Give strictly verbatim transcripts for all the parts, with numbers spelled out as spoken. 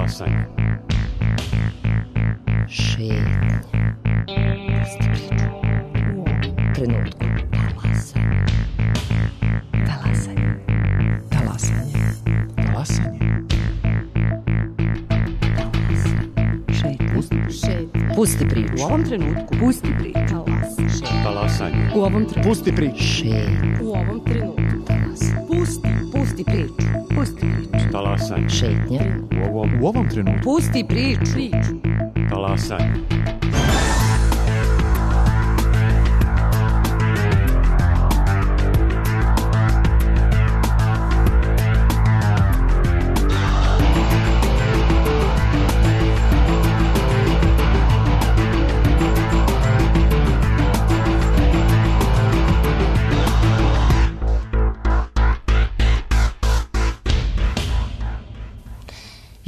Talasanje. Šetnja. Trenutku. Talasanje. Talasanje. Talasanje. Talasanje. Šetnja. Šetnja. Pusti priču. U ovom trenutku. Pusti priču. Talasanje. Talasanje. U ovom trenutku. Pusti priču. Šetnja. U ovom trenutku. Talasanje. Pusti. Pusti priču. Pusti priču. Talasanje. Šetnja. U ovom, U ovom trenutku. Pusti priču. Priču. talasanje.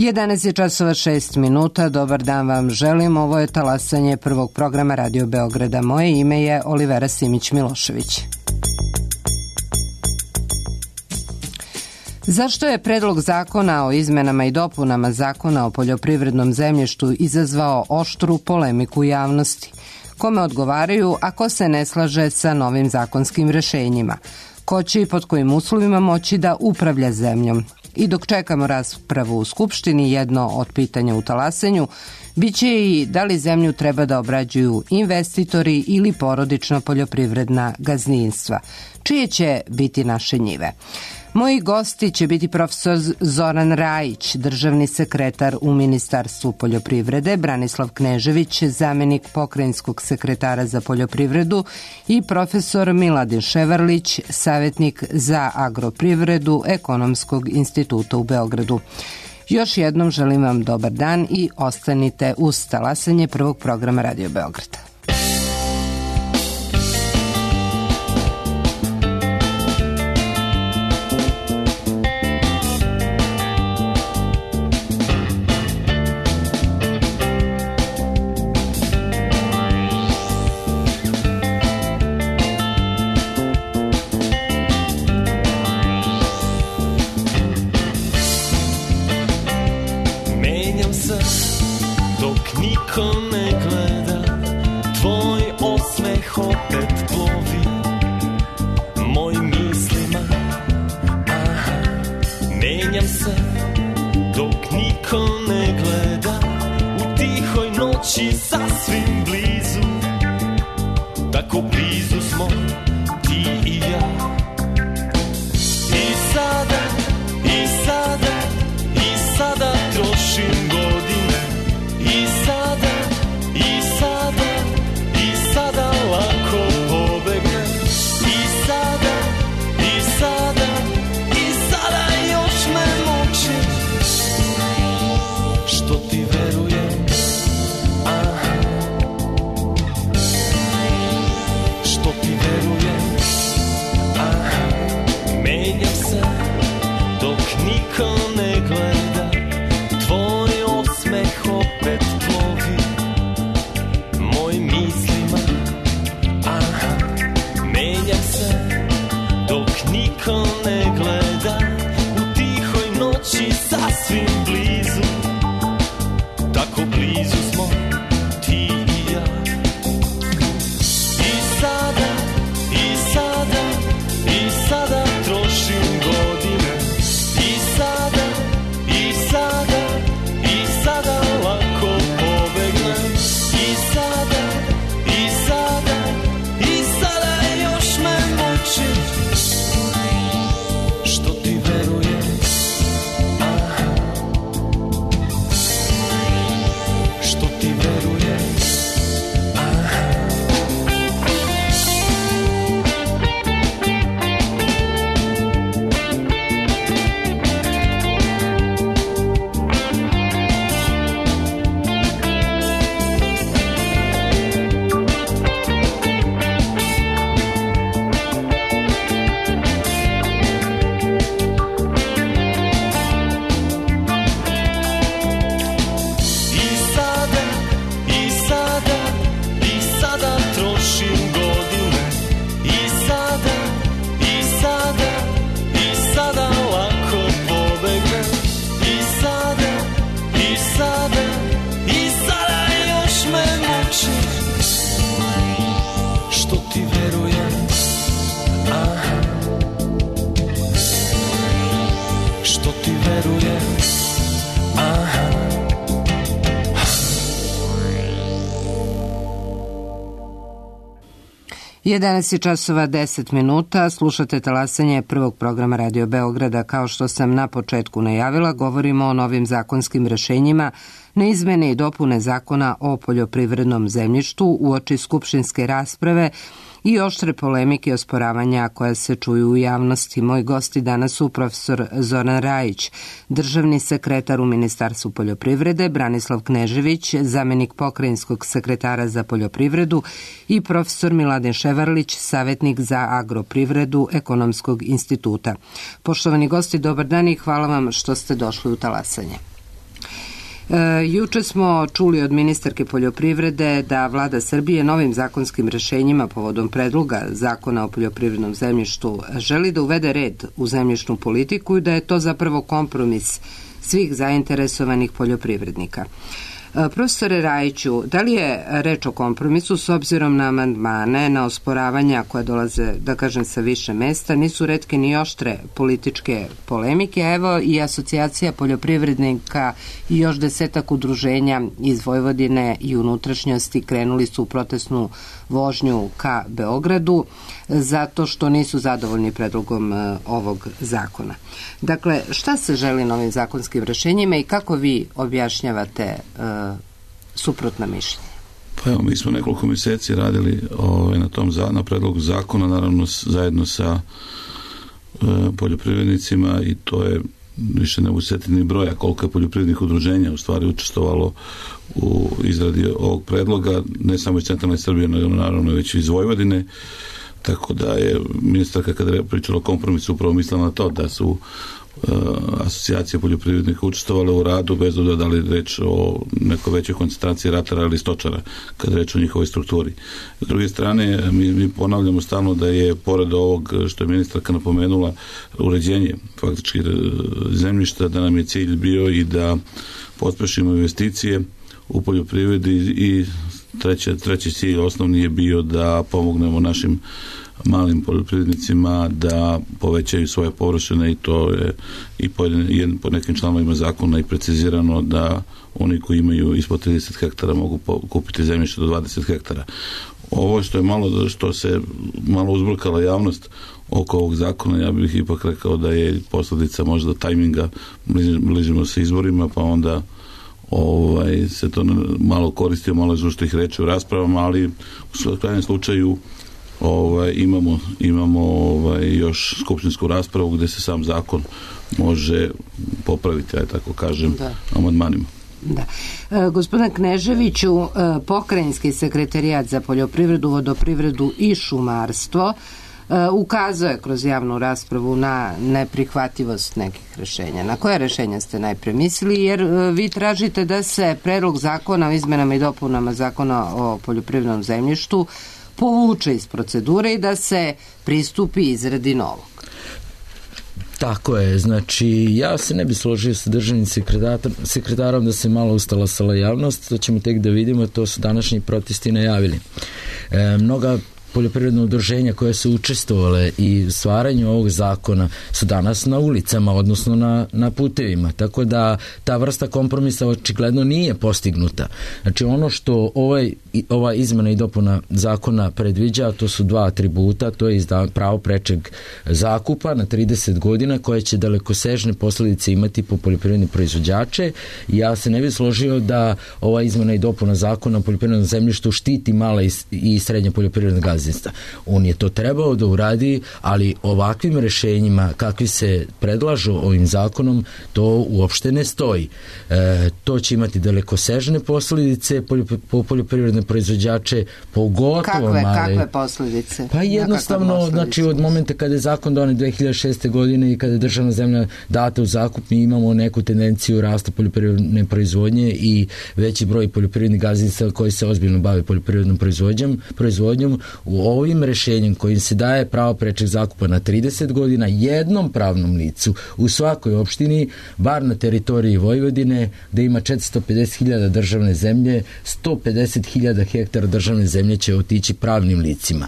jedanaest je časova šest minuta. Dobar dan vam želim. Ovo je talasanje prvog programa Radio Beograda. Moje ime je Olivera Simić-Milošević. Zašto je predlog zakona o izmenama i dopunama Zakona o poljoprivrednom zemljištu izazvao oštru polemiku u javnosti? Kome odgovaraju, a ko se ne slaže sa novim zakonskim rešenjima? Ko će i pod kojim uslovima moći da upravlja zemljom? I dok čekamo raspravu u Skupštini, jedno od pitanja u talasenju biće i da li zemlju treba da obrađuju investitori ili porodična poljoprivredna gazdinstva. Čije će biti naše njive? Moji gosti će biti profesor Zoran Rajić, državni sekretar u Ministarstvu poljoprivrede, Branislav Knežević, zamenik pokrajinskog sekretara za poljoprivredu i profesor Miladin Ševarlić, savjetnik za agroprivredu Ekonomskog instituta u Beogradu. Još jednom želim vam dobar dan i ostanite uz talasanje prvog programa Radio Beograda. jedanaest je časova deset minuta, slušate talasanje prvog programa Radio Beograda. Kao što sam na početku najavila, govorimo o novim zakonskim rešenjima na izmene i dopune zakona o poljoprivrednom zemljištu uoči skupštinske rasprave i oštre polemike i osporavanja koja se čuju u javnosti. Moji gosti danas su profesor Zoran Rajić, državni sekretar u Ministarstvu poljoprivrede, Branislav Knežević, zamenik pokrajinskog sekretara za poljoprivredu i profesor Miladin Ševarlić, savjetnik za agroprivredu Ekonomskog instituta. Poštovani gosti, dobar dan i hvala vam što ste došli u talasanje. E, juče smo čuli od ministarke poljoprivrede da vlada Srbije novim zakonskim rešenjima povodom predloga zakona o poljoprivrednom zemljištu želi da uvede red u zemljišnu politiku i da je to zapravo kompromis svih zainteresovanih poljoprivrednika. E, profesore Rajiću, da li je reč o kompromisu s obzirom na amandmane, na osporavanja koja dolaze, da kažem, sa više mesta, nisu retke ni oštre političke polemike, a evo i asocijacija poljoprivrednika i još desetak udruženja iz Vojvodine i unutrašnjosti krenuli su u protestnu vožnju ka Beogradu zato što nisu zadovoljni predlogom ovog zakona. Dakle, šta se želi novim zakonskim rešenjima i kako vi objašnjavate uh, suprotna mišljenja? Pa evo, mi smo nekoliko mjeseci radili ovaj, na tom za, na predlogu zakona, naravno s, zajedno sa uh, poljoprivrednicima, i to je više ne usjetiti ni broja koliko je poljoprivrednih udruženja u stvari učestvovalo u izradi ovog predloga, ne samo iz centralne Srbije, nego naravno već iz Vojvodine. Tako da je ministarka, kada je pričala o kompromisu, upravo mislila na to da su uh, asocijacije poljoprivrednika učestvovale u radu, bez obzira da li reč o nekoj većoj koncentraciji ratara ili stočara, kada je reč o njihovoj strukturi. S druge strane, mi, mi ponavljamo stalno da je, pored ovog što je ministarka napomenula, uređenje faktički zemljišta, da nam je cilj bio i da pospešimo investicije u poljoprivredi i treći, treći cilj osnovni je bio da pomognemo našim malim poljoprivrednicima da povećaju svoje površine, i to je i po, jedan, po nekim članovima zakona i precizirano da oni koji imaju ispod trideset hektara mogu kupiti zemljište do dvadeset hektara. Ovo što je malo, što se malo uzburkala javnost oko ovog zakona, ja bih ipak rekao da je posljedica možda tajminga, bližimo se izborima, pa onda ovaj, se to malo koristio, malo iz uštih reči u raspravama, ali u krajnjem slučaju ovaj, imamo, imamo ovaj, još skupštinsku raspravu gdje se sam zakon može popraviti, aj tako kažem, amandmanima. Da. E, gospodin Kneževiću, e, pokrajinski sekretarijat za poljoprivredu, vodoprivredu i šumarstvo ukazuje kroz javnu raspravu na neprihvatljivost nekih rešenja. Na koje rešenja ste najpre mislili? Jer vi tražite da se predlog zakona o izmenama i dopunama zakona o poljoprivrednom zemljištu povuče iz procedure i da se pristupi izradi novog. Tako je, znači ja se ne bi složio sa državnim sekretarom da se malo ustalasala javnost, to ćemo tek da vidimo, to su današnji protesti najavili. E, mnoga poljoprivredna udruženja koje su učestvovale i u stvaranju ovog zakona su danas na ulicama, odnosno na, na putevima, tako da ta vrsta kompromisa očigledno nije postignuta. Znači ono što ovaj, ova izmena i dopuna zakona predviđa, to su dva atributa, to je pravo prečeg zakupa na trideset godina koje će dalekosežne posljedice imati po poljoprivredne proizvođače. Ja se ne bih složio da ova izmena i dopuna zakona o poljoprivrednom zemljištu štiti mala i, i srednja poljoprivredna gazdinstva. On je to trebao da uradi, ali ovakvim rešenjima kakvi se predlažu ovim zakonom, to uopšte ne stoji. E, to će imati dalekosežne posljedice po poljoprivredne proizvođače, pogotovo kakve, male. Kakve posljedice? Pa jednostavno, znači od momenta kada je zakon donet dve hiljade šeste. godine i kada je državna zemlja data u zakup, mi imamo neku tendenciju rasta poljoprivredne proizvodnje i veći broj poljoprivrednih gazdinstava koji se ozbiljno bave poljoprivrednom proizvodnjom, proizvodnjom. U ovim rešenjem kojim se daje pravo prečeg zakupa na trideset godina jednom pravnom licu u svakoj opštini, bar na teritoriji Vojvodine, gde ima četiristo pedeset hiljada državne zemlje, sto pedeset hiljada hektara državne zemlje će otići pravnim licima.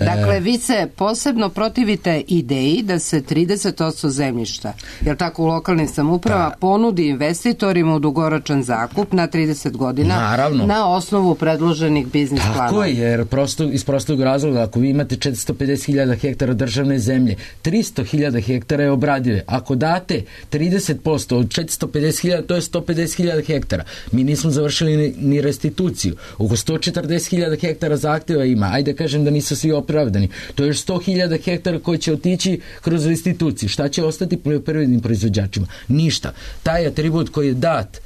Dakle, vi se posebno protivite ideji da se trideset posto zemljišta, jer tako u lokalnim samoupravama da. ponudi investitorima u dugoročan zakup na trideset godina. Naravno. Na osnovu predloženih biznis planova. Tako je, jer prosto, iz prostog razloga, ako vi imate četiristo pedeset hiljada hektara državne zemlje, tristo hiljada hektara je obradive. Ako date trideset posto od četiristo pedeset hiljada, to je sto pedeset hiljada hektara. Mi nismo završili ni, ni restituciju. Oko sto četrdeset hiljada hektara zahteva ima. Ajde kažem da nisu svi opravdani. To je još sto hiljada hektara koji će otići kroz restituciju. Šta će ostati poljoprivrednim proizvođačima? Ništa. Taj atribut koji je dat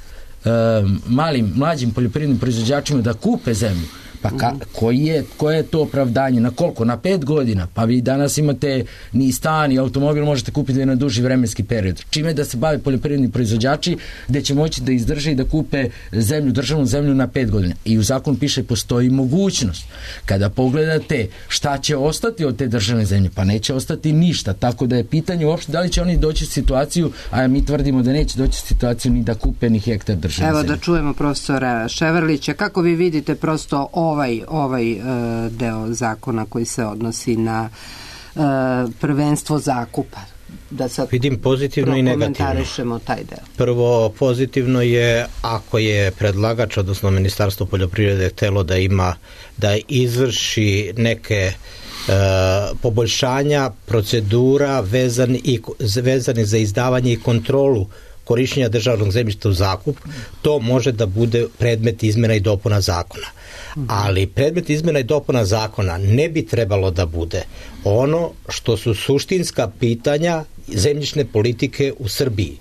uh, malim, mlađim poljoprivrednim proizvođačima da kupe zemlju, pa ka, koji je, koje je to opravdanje? Na koliko? Na pet godina? Pa vi danas imate ni stan, ni automobil možete kupiti na duži vremenski period. Čime da se bave poljoprivredni proizvođači gde će moći da izdrže i da kupe zemlju, državnu zemlju na pet godina. I u zakonu piše postoji mogućnost. Kada pogledate šta će ostati od te državne zemlje, pa neće ostati ništa. Tako da je pitanje uopšte da li će oni doći u situaciju, a mi tvrdimo da neće doći u situaciju ni da kupe ni hektar državne Evo zemlje. da čujemo profesora Ševarlića. Kako vi vidite prosto ovaj, ovaj uh, deo zakona koji se odnosi na uh, prvenstvo zakupa? Da sad vidim pozitivno i negativno. Komentarišemo taj deo. Prvo, pozitivno je ako je predlagač, odnosno Ministarstvo poljoprivrede htelo da ima, da izvrši neke Uh, poboljšanja procedura vezani, i, vezani za izdavanje i kontrolu korišćenja državnog zemljišta u zakup, to može da bude predmet izmjena i dopuna zakona. Ali predmet izmjena i dopuna zakona ne bi trebalo da bude ono što su suštinska pitanja zemljišne politike u Srbiji,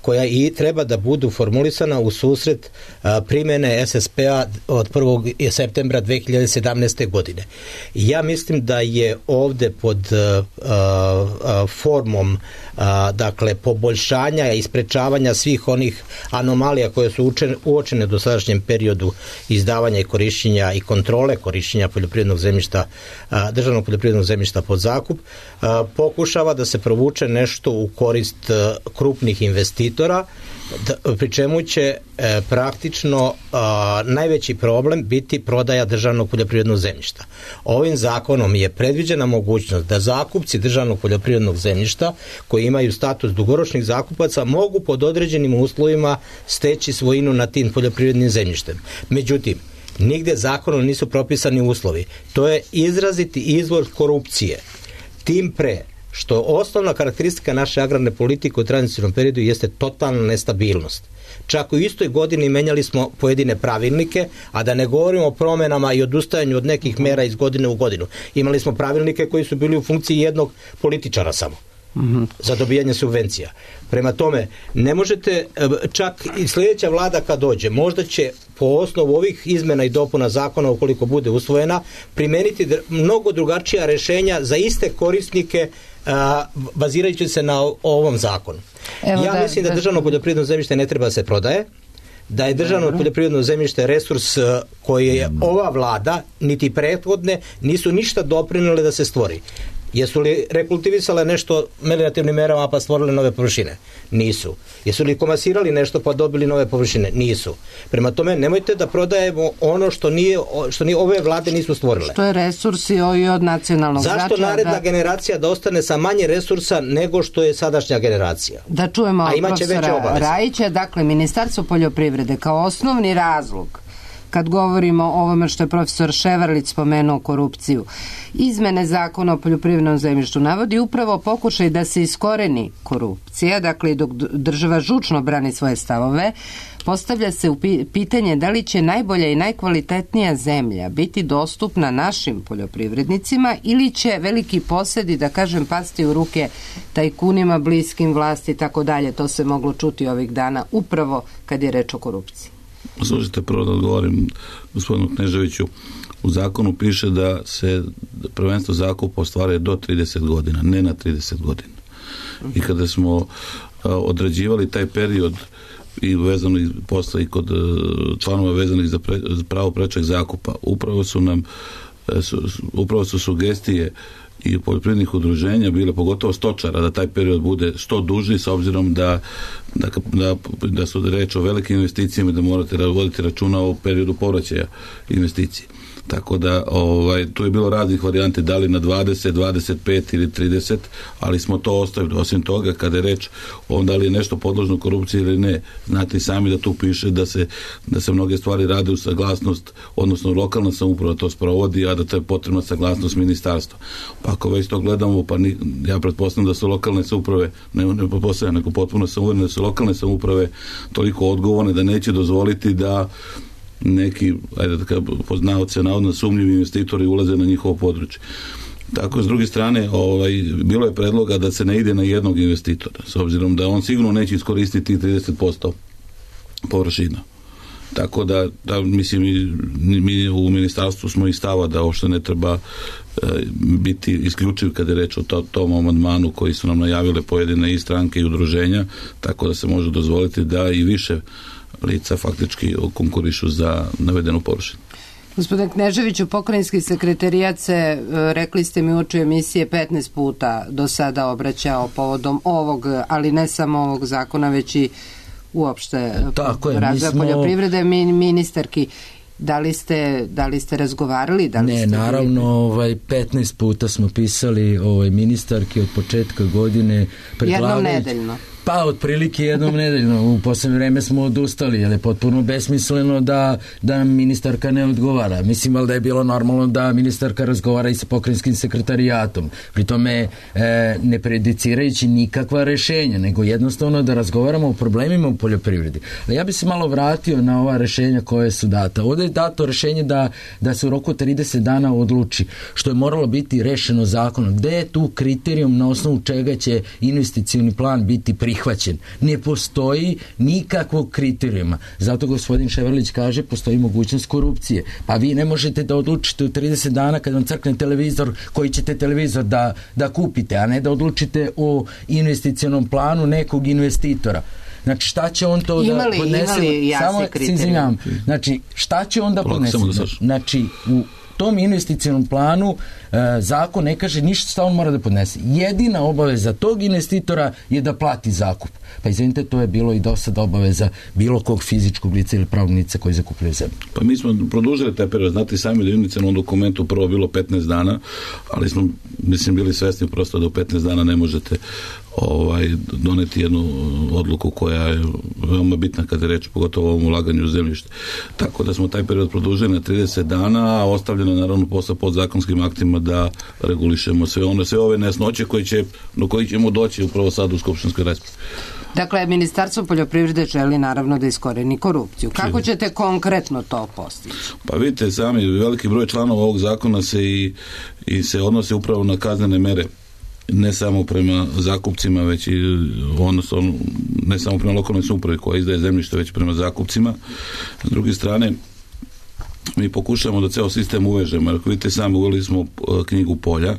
koja i treba da budu formulisana u susret a, primjene es es pe-a od prvog septembra dve hiljade sedamnaeste. godine. Ja mislim da je ovde pod a, a, formom a, dakle poboljšanja i sprečavanja svih onih anomalija koje su učene, uočene do sadašnjem periodu izdavanja i korišćenja i kontrole korišćenja poljoprivrednog zemljišta, a, državnog poljoprivrednog zemljišta pod zakup, a, pokušava da se provuče nešto u korist a, krupnih investitora, Da, pri čemu će e, praktično a, najveći problem biti prodaja državnog poljoprivrednog zemljišta. Ovim zakonom je predviđena mogućnost da zakupci državnog poljoprivrednog zemljišta koji imaju status dugoročnih zakupaca mogu pod određenim uslovima steći svojinu nad tim poljoprivrednim zemljištem. Međutim, nigde zakonom nisu propisani uslovi. To je izraziti izvor korupcije. Tim pre što osnovna karakteristika naše agrarne politike u tranzicijnom periodu jeste totalna nestabilnost. Čak u istoj godini menjali smo pojedine pravilnike, a da ne govorimo o promenama i odustajanju od nekih mera iz godine u godinu. Imali smo pravilnike koji su bili u funkciji jednog političara samo. Mm-hmm. Za dobijanje subvencija. Prema tome, ne možete, čak i sljedeća vlada kad dođe, možda će po osnovu ovih izmena i dopuna zakona, ukoliko bude usvojena, primeniti mnogo drugačija rešenja za iste korisnike, a, bazirajući se na ovom zakonu. Evo ja da, mislim da, da državno poljoprivredno zemljište ne treba da se prodaje, da je državno Dobro. poljoprivredno zemljište resurs koji je ova vlada, niti prethodne, nisu ništa doprinele da se stvori. Jesu li rekultivisale nešto meliorativnim merama pa stvorile nove površine? Nisu. Jesu li komasirali nešto pa dobili nove površine? Nisu. Prema tome, nemojte da prodajemo ono što nije, što nije ove vlade nisu stvorile. Što je resursi i od nacionalnog značaja. Zašto naredna da... generacija da ostane sa manje resursa nego što je sadašnja generacija? Da čujemo profesora Rajića. Dakle, Ministarstvo poljoprivrede kao osnovni razlog kad govorimo o ovome što je profesor Ševarlić spomenuo korupciju, izmene zakona o poljoprivrednom zemljištu navodi upravo pokušaj da se iskoreni korupcija, dakle dok država žučno brani svoje stavove, postavlja se u pitanje da li će najbolja i najkvalitetnija zemlja biti dostupna našim poljoprivrednicima ili će veliki posedi, da kažem, pasti u ruke tajkunima, bliskim vlasti i tako dalje. To se moglo čuti ovih dana upravo kad je reč o korupciji. Slušajte, prvo da odgovorim gospodinu Kneževiću. U zakonu piše da se prvenstvo zakupa ostvaruje do trideset godina, ne na trideset godina. I kada smo određivali taj period i vezano i posle i kod članova vezanih za, pre, za pravo prečeg zakupa, upravo su nam su, upravo su sugestije i poljoprivrednih udruženja bile, pogotovo stočara, da taj period bude što duži, s obzirom da, da, da, da su reč o velikim investicijama i da morate voditi računa o periodu povraćaja investicije. Tako da ovaj, tu je bilo raznih varijante, da li na dvadeset, dvadeset pet ili trideset, ali smo to ostavili. Osim toga, kada je reč o da li je nešto podložno korupciji ili ne, znate i sami da tu piše da se, da se mnoge stvari rade u saglasnost, odnosno lokalna samouprava to sprovodi, a da to je potrebna saglasnost ministarstva. Pa ako već to gledamo, pa ni, ja pretpostavljam da su lokalne samouprave, ne, ne pretpostavljam, nego potpuno sam uveren da su lokalne samouprave toliko odgovorne da neće dozvoliti da neki, ajde da kažem, poznavaoce navodno sumnjivi investitori ulaze na njihovo područje. Tako, s druge strane, ovaj, bilo je predloga da se ne ide na jednog investitora, s obzirom da on sigurno neće iskoristiti trideset posto površina. Tako da, da mislim, mi, mi u ministarstvu smo i stava da uopšte ne treba e, biti isključiv kada je reč o to, tom amandmanu koji su nam najavile pojedine i stranke i udruženja, tako da se može dozvoliti da i više lica faktički konkurišu za navedenu površinu. Gospodin Kneževiću, pokrajinski sekretarijat se, rekli ste mi uoči emisije, petnaest puta do sada obraćao povodom ovog, ali ne samo ovog zakona, već i uopšte razvoja smo... poljoprivrede, ministarki. Da li ste, da li ste razgovarali? Da li ne, ste naravno, ovaj, petnaest puta smo pisali ovaj, ministarki od početka godine. Jednom nedeljno. Pa, otprilike jednom nedeljno. U poslednje vreme smo odustali, jer je potpuno besmisleno da, da nam ministarka ne odgovara. Mislim, ali da je bilo normalno da ministarka razgovara i sa pokrajinskim sekretarijatom. Pri tome e, ne predicirajući nikakva rešenja, nego jednostavno da razgovaramo o problemima u poljoprivredi. Ali ja bi se malo vratio na ova rešenja koje su data. Ovde je dato rešenje da, da se u roku trideset dana odluči, što je moralo biti rešeno zakonom. Gde je tu kriterijum na osnovu čega će investicioni plan biti prihvaćen? Prihvaćen. Ne postoji nikakvog kriterijuma. Zato gospodin Ševarlić kaže postoji mogućnost korupcije. Pa vi ne možete da odlučite u trideset dana kad vam crkne televizor koji ćete televizor da, da kupite, a ne da odlučite o investicionom planu nekog investitora. Znači, šta će on to imali, da podnese? Imali jasne kriterije. Znači, šta će on da podnese? Znači, u tom investicionom planu e, zakon ne kaže ništa šta on mora da podnese. Jedina obaveza tog investitora je da plati zakup. Pa izvinite, to je bilo i do sada obaveza bilo kog fizičkog lica ili pravnog lica koji zakupljaju zemlju. Pa mi smo produžili taj period, znate sami da je u inicijalnom dokumentu prvo bilo petnaest dana, ali smo, mislim, bili svesni prosto da u petnaest dana ne možete ovaj, doneti jednu odluku koja je veoma bitna kada je reč pogotovo o ovom ulaganju u zemljište. Tako da smo taj period produžili na trideset dana, a ostavljeno je naravno posle podzakonskim aktima da regulišemo sve one, sve ove nesnoće koji će, do koji ćemo doći upravo sad u skupštinskoj raspravi. Dakle, Ministarstvo poljoprivrede želi naravno da iskoreni korupciju. Kako ćete konkretno to postići? Pa vidite sami, veliki broj članova ovog zakona se i, i se odnose upravo na kaznene mere, ne samo prema zakupcima, već i odnosno ne samo prema lokalnoj samoupravi koja izdaje zemljište, već prema zakupcima. S druge strane, mi pokušamo da ceo sistem uvežemo. Ako vidite sami, uveli smo knjigu polja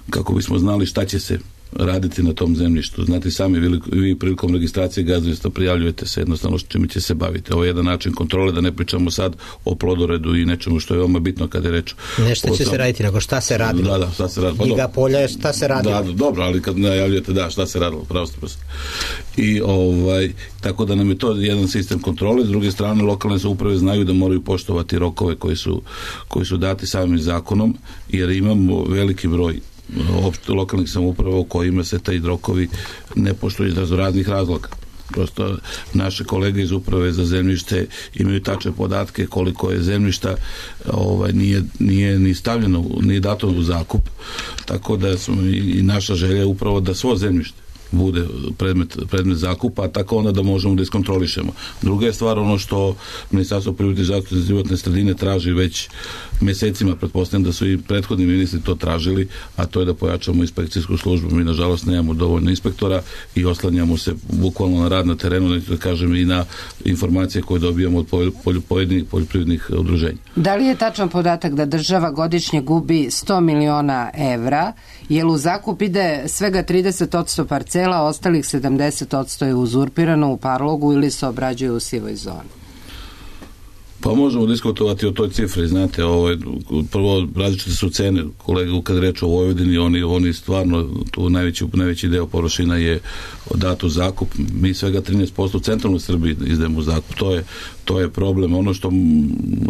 kako bismo znali šta će se raditi na tom zemljištu. Znate sami, vi, vi prilikom registracije gazdinstva prijavljujete se jednostavno što čime će se baviti. Ovo je jedan način kontrole, da ne pričamo sad o plodoredu i nečemu što je veoma bitno kada je reč. Nešto će se raditi, nego šta se radilo. Da, da, šta se radilo. Knjiga polja je šta se radilo. Da, dobro, ali kad najavljujete da, šta se radilo, pravo ste prosto. I ovaj, tako da nam je to jedan sistem kontrole. S druge strane, lokalne samouprave znaju da moraju poštovati rokove koji su, koji su dati samim zakonom, jer imamo veliki broj opšte lokalnih samouprava u kojima se taj rokovi ne poštuju iz raznoraznih razloga. Prosto naše kolege iz uprave za zemljište imaju tačne podatke koliko je zemljišta ovaj, nije, nije ni stavljeno, ni dato u zakup, tako da smo i, i naša želja upravo da svo zemljište bude predmet, predmet zakupa, a tako onda da možemo da iskontrolišemo. Druga je stvar ono što Ministarstvo privrede i zaštite životne sredine traži već mesecima, pretpostavljam da su i prethodni ministri to tražili, a to je da pojačamo inspekcijsku službu. Mi nažalost nemamo dovoljno inspektora i oslanjamo se bukvalno na rad na terenu, da kažem i na informacije koje dobijamo od pojedinih poljoprivrednih udruženja. Da li je tačan podatak da država godišnje gubi sto miliona evra, jer u zakup ide svega trideset posto parcela, ostalih sedamdeset posto je uzurpirano u parlogu ili se obrađuje u sivoj zoni? Pa možemo diskutovati o toj cifri, znate, ovo, prvo različite su cene, kolega kad reče o Vojvodini, oni, oni stvarno, tu najveći, najveći deo površina je dat u zakup, mi svega trinaest posto u centralnoj Srbiji izdajemo u zakup, to je, to je problem. Ono što,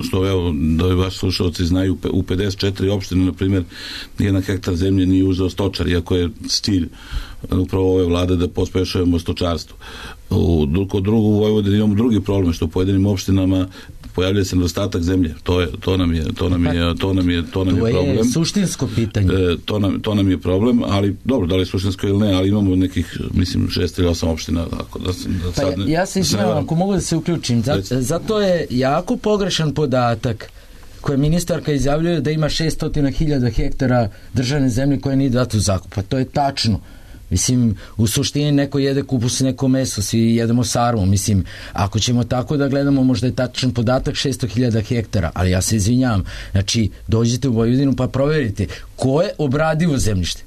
što evo, da vaši slušalci znaju, u pedeset četiri opštine, na primjer, nijedan hektar zemlje nije uzeo stočar, iako je cilj upravo ove vlade da pospešujemo stočarstvo. U, kod drugu u Vojvodini imamo drugi problem, što u pojedinim opštinama pojavljuje se nedostatak zemlje. To je to nam je to nam je to nam je to nam je problem. To je suštinsko pitanje. E, to nam to nam je problem, ali dobro, da li je suštinsko ili ne, ali imamo nekih mislim šest ili osam opština, tako da, da sad pa, ja se izvinjavam, ako mogu da se uključim. Zato, zato je jako pogrešan podatak koje ministarka izjavljuje da ima šessto hiljada hektara državne zemlje koje nije dato u zakup. Pa to je tačno. Mislim, u suštini neko jede kupus, neko meso, svi jedemo sarmu. Mislim, ako ćemo tako da gledamo, možda je tačan podatak šessto hiljada hektara, ali ja se izvinjavam. Znači, dođite u Vojvodinu pa proverite ko je obradivo zemljište.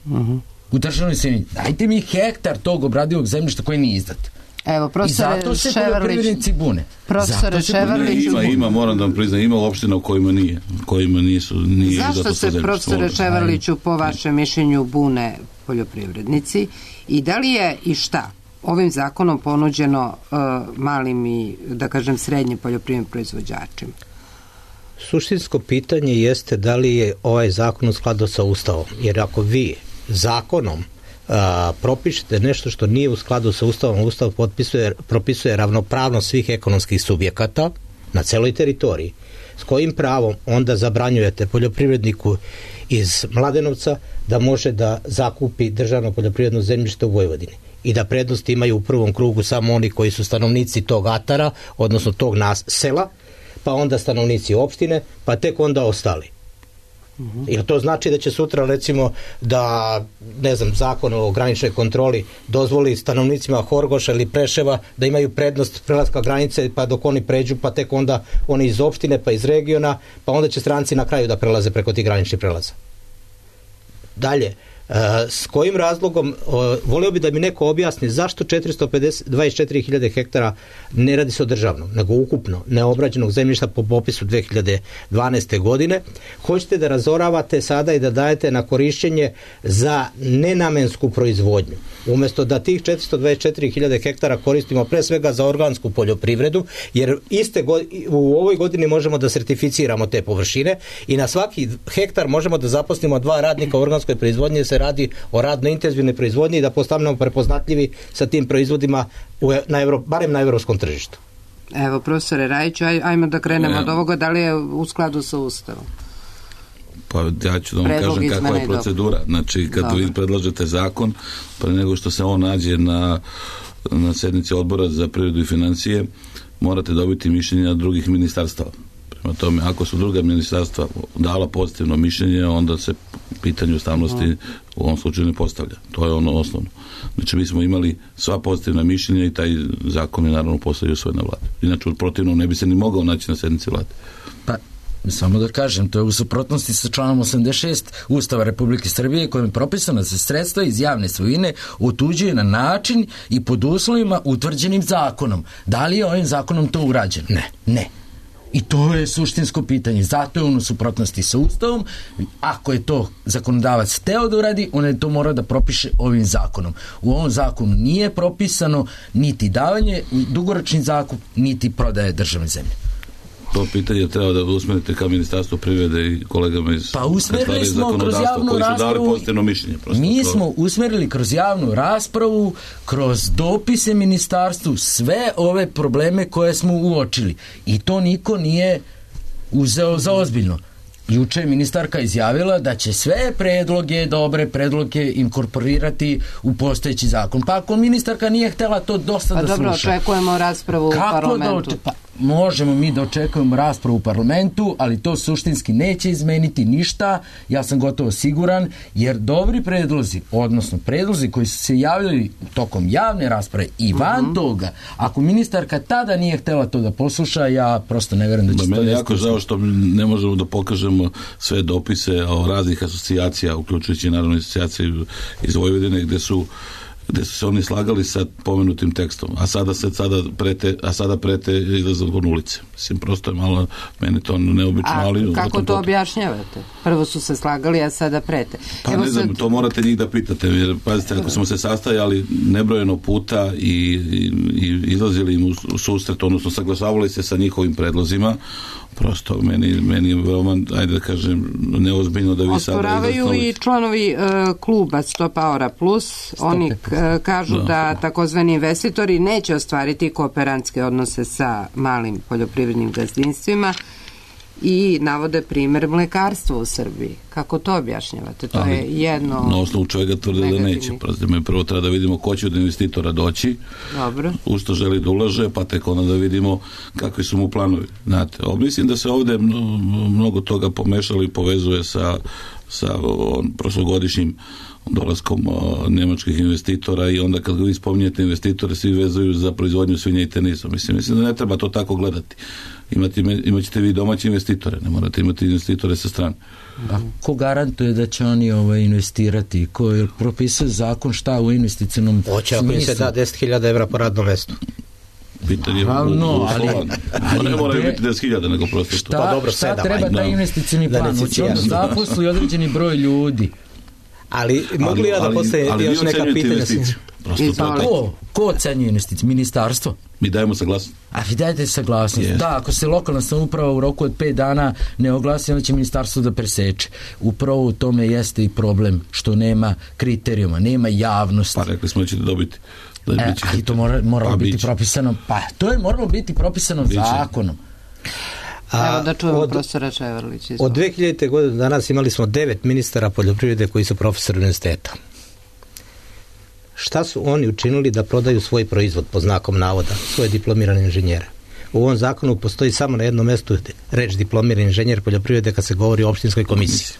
Uh-huh. U državnoj svini. Dajte mi hektar tog obradivog zemljišta koji nije izdat. Evo, profesore I zato se poljoprivrednici bune. Profesore Ševarlić, ima, ima, moram da vam priznam, ima opština u kojima nije, kojima nisu, nije zašto se, profesore Ševarliću, po vašem mišljenju bune poljoprivrednici i da li je i šta ovim zakonom ponuđeno uh, malim i, da kažem, srednjim poljoprivrednim proizvođačima? Suštinsko pitanje jeste da li je ovaj zakon u skladu sa Ustavom, jer ako vi zakonom a, propišete nešto što nije u skladu sa Ustavom, Ustav potpisuje, propisuje ravnopravnost svih ekonomskih subjekata na celoj teritoriji. S kojim pravom onda zabranjujete poljoprivredniku iz Mladenovca da može da zakupi državno poljoprivredno zemljište u Vojvodini i da prednost imaju u prvom krugu samo oni koji su stanovnici tog atara, odnosno tog nas sela, pa onda stanovnici opštine, pa tek onda ostali. Uh-huh. Jer to znači da će sutra recimo da, ne znam, zakon o graničnoj kontroli dozvoli stanovnicima Horgoša ili Preševa da imaju prednost prelaska granice, pa dok oni pređu, pa tek onda oni iz opštine, pa iz regiona, pa onda će stranci na kraju da prelaze preko tih graničnih prelaza. Dalje, Uh, s kojim razlogom, uh, volio bi da mi neko objasni zašto četiristo dvadeset četiri hiljade hektara ne radi se o državnom, nego ukupno neobrađenog zemljišta po popisu dve hiljade dvanaeste. godine. Hoćete da razoravate sada i da dajete na korišćenje za nenamensku proizvodnju. Umjesto da tih četiristo dvadeset četiri hiljade hektara koristimo pre svega za organsku poljoprivredu, jer iste go, u ovoj godini možemo da sertificiramo te površine i na svaki hektar možemo da zaposlimo dva radnika u organskoj proizvodnji, se radi o radno intenzivnoj proizvodnji i da postanemo prepoznatljivi sa tim proizvodima u, na Evro, barem na evropskom tržištu. Evo, profesore Rajiću, aj, ajmo da krenemo ne. od ovoga, da li je u skladu sa Ustavom? Pa ja ću da vam Predlog kažem kakva je procedura. Znači, kad Dobre. vi predlažete zakon, pre nego što se on nađe na, na sednici odbora za privredu i financije, morate dobiti mišljenja drugih ministarstava. Prema tome, ako su druga ministarstva dala pozitivno mišljenje, onda se pitanje ustavnosti u ovom slučaju ne postavlja. To je ono osnovno. Znači, mi smo imali sva pozitivna mišljenja i taj zakon je naravno postavio svoj na vladu. Inače, protivno ne bi se ni mogao naći na sednici vlade. Pa, samo da kažem, to je u suprotnosti sa članom osamdeset šest Ustava Republike Srbije, kojim je propisano da se sredstva iz javne svojine otuđuje na način i pod uslovima utvrđenim zakonom. Da li je ovim zakonom to urađeno? Ne. Ne. I to je suštinsko pitanje. Zato je on u suprotnosti sa Ustavom. Ako je to zakonodavac teo da uradi, on je to mora da propiše ovim zakonom. U ovom zakonu nije propisano niti davanje dugoročni zakup, niti prodaje državne zemlje. To pitanje treba da usmerite ka Ministarstvu privrede i kolegama iz pa usmerili smo kroz javnu raspravu. Mi to. smo usmerili kroz javnu raspravu, kroz dopise ministarstvu, sve ove probleme koje smo uočili. I to niko nije uzeo za ozbiljno. Juče je ministarka izjavila da će sve predloge, dobre predloge inkorporirati u postojeći zakon. Pa ako ministarka nije htela to dosta pa da dobro, sluša. Pa dobro, očekujemo raspravu Kako u parlamentu. Da oče... pa, možemo mi da očekujemo raspravu u parlamentu, ali to suštinski neće izmeniti ništa, ja sam gotovo siguran, jer dobri predlozi, odnosno predlozi koji su se javljali tokom javne rasprave i van uh-huh. toga, ako ministarka tada nije htela to da posluša, ja prosto ne verujem da će da, to... Meni je jako žao što ne možemo da pokažemo sve dopise o raznih asocijacija, uključujući naravno asocijacije iz Vojvodine, gde su gde su se oni slagali sa pomenutim tekstom, a sada se sada prete, a sada prete izlazak na ulice. Mislim, prosto je malo, meni to neobično, a ali... A kako to potom... objašnjavate? Prvo su se slagali, a sada prete. Pa Evo ne znam, sad... to morate njih da pitate, jer pazite, ako smo se sastajali nebrojeno puta i, i, i izlazili im u, u susret, odnosno saglasavali se sa njihovim predlozima, prosto meni, meni je veoma, ajde da kažem, neozbiljno da vi sada... Osporavaju i članovi uh, kluba Stop Power Plus, oni uh, kažu da, da takozvani investitori neće ostvariti kooperantske odnose sa malim poljoprivrednim gazdinstvima i navode primer mlekarstva u Srbiji. Kako to objašnjavate? To ali, je jedno... Na osnovu čega tvrde da neće. Prazite, prvo treba da vidimo ko će od investitora doći, dobro, u što želi da ulaže, pa tek onda da vidimo kakvi su mu planovi. Znate, mislim da se ovde mnogo toga pomešalo i povezuje sa, sa on, prošlogodišnjim dolaskom o, nemačkih investitora i onda kad vi spominjete investitore svi vezuju za proizvodnju svinja i tenisa. Mislim, mislim da ne treba to tako gledati. Imate, imaćete vi domaće investitore, ne morate imati investitore sa strane. A ko garantuje da će oni ovaj, investirati? Ko je propisao zakon šta u investicionom smislu? Hoće ako im se da deset hiljada evra po radnom mestu. Pitanje je u, no, u ali, ali ne moraju biti deset hiljada nego prosto šta, pa dobro, šta sedam, treba taj investicioni plan? Hoće on zaposli određeni broj ljudi. Ali mogu li ja da postavim još neka pitanja? Ko? Ko ocenjuje investicije? Ministarstvo? Mi dajemo saglasnost. A vi dajete saglasnost. Yes. Da, ako se lokalna samouprava u roku od pet dana ne oglasi, onda će ministarstvo da preseče. Upravo u tome jeste i problem što nema kriterijuma, nema javnosti. Pa rekli smo da ćete dobiti. Da e, ćete... I to mora, moralo pa, biti biće. propisano. Pa to je moralo biti propisano biće. Zakonom. A, Evo da čujemo od, profesora Čevrlića. Od dve hiljadite godine do danas imali smo devet ministara poljoprivrede koji su profesori univerziteta. Šta su oni učinili da prodaju svoj proizvod po znakom navoda, svoje diplomirane inženjere? U ovom zakonu postoji samo na jednom mestu reč diplomirani inženjer poljoprivrede kad se govori o opštinskoj komisiji.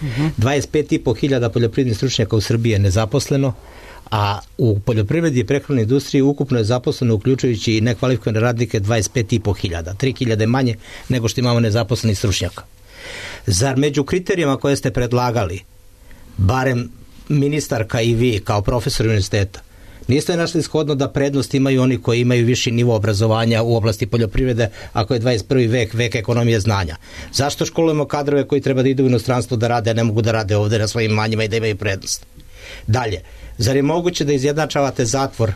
Uh-huh. dvadeset pet i po hiljada poljoprivrednih stručnjaka u Srbiji je nezaposleno, a u poljoprivredi i prehrambenoj industriji ukupno je zaposleno, uključujući i nekvalifikovane radnike, dvadeset pet i po hiljada, tri hiljade manje nego što imamo nezaposlenih stručnjaka. Zar među kriterijama koje ste predlagali, barem ministarka i vi kao profesor univerziteta, niste našli shodno da prednost imaju oni koji imaju viši nivo obrazovanja u oblasti poljoprivrede, ako je dvadeset prvi vek, vek ekonomije znanja? Zašto školujemo kadrove koji treba da idu u inostranstvo da rade, a ne mogu da rade ovde na svojim manjima i da imaju prednost? Dalje, zar je moguće da izjednačavate zatvor,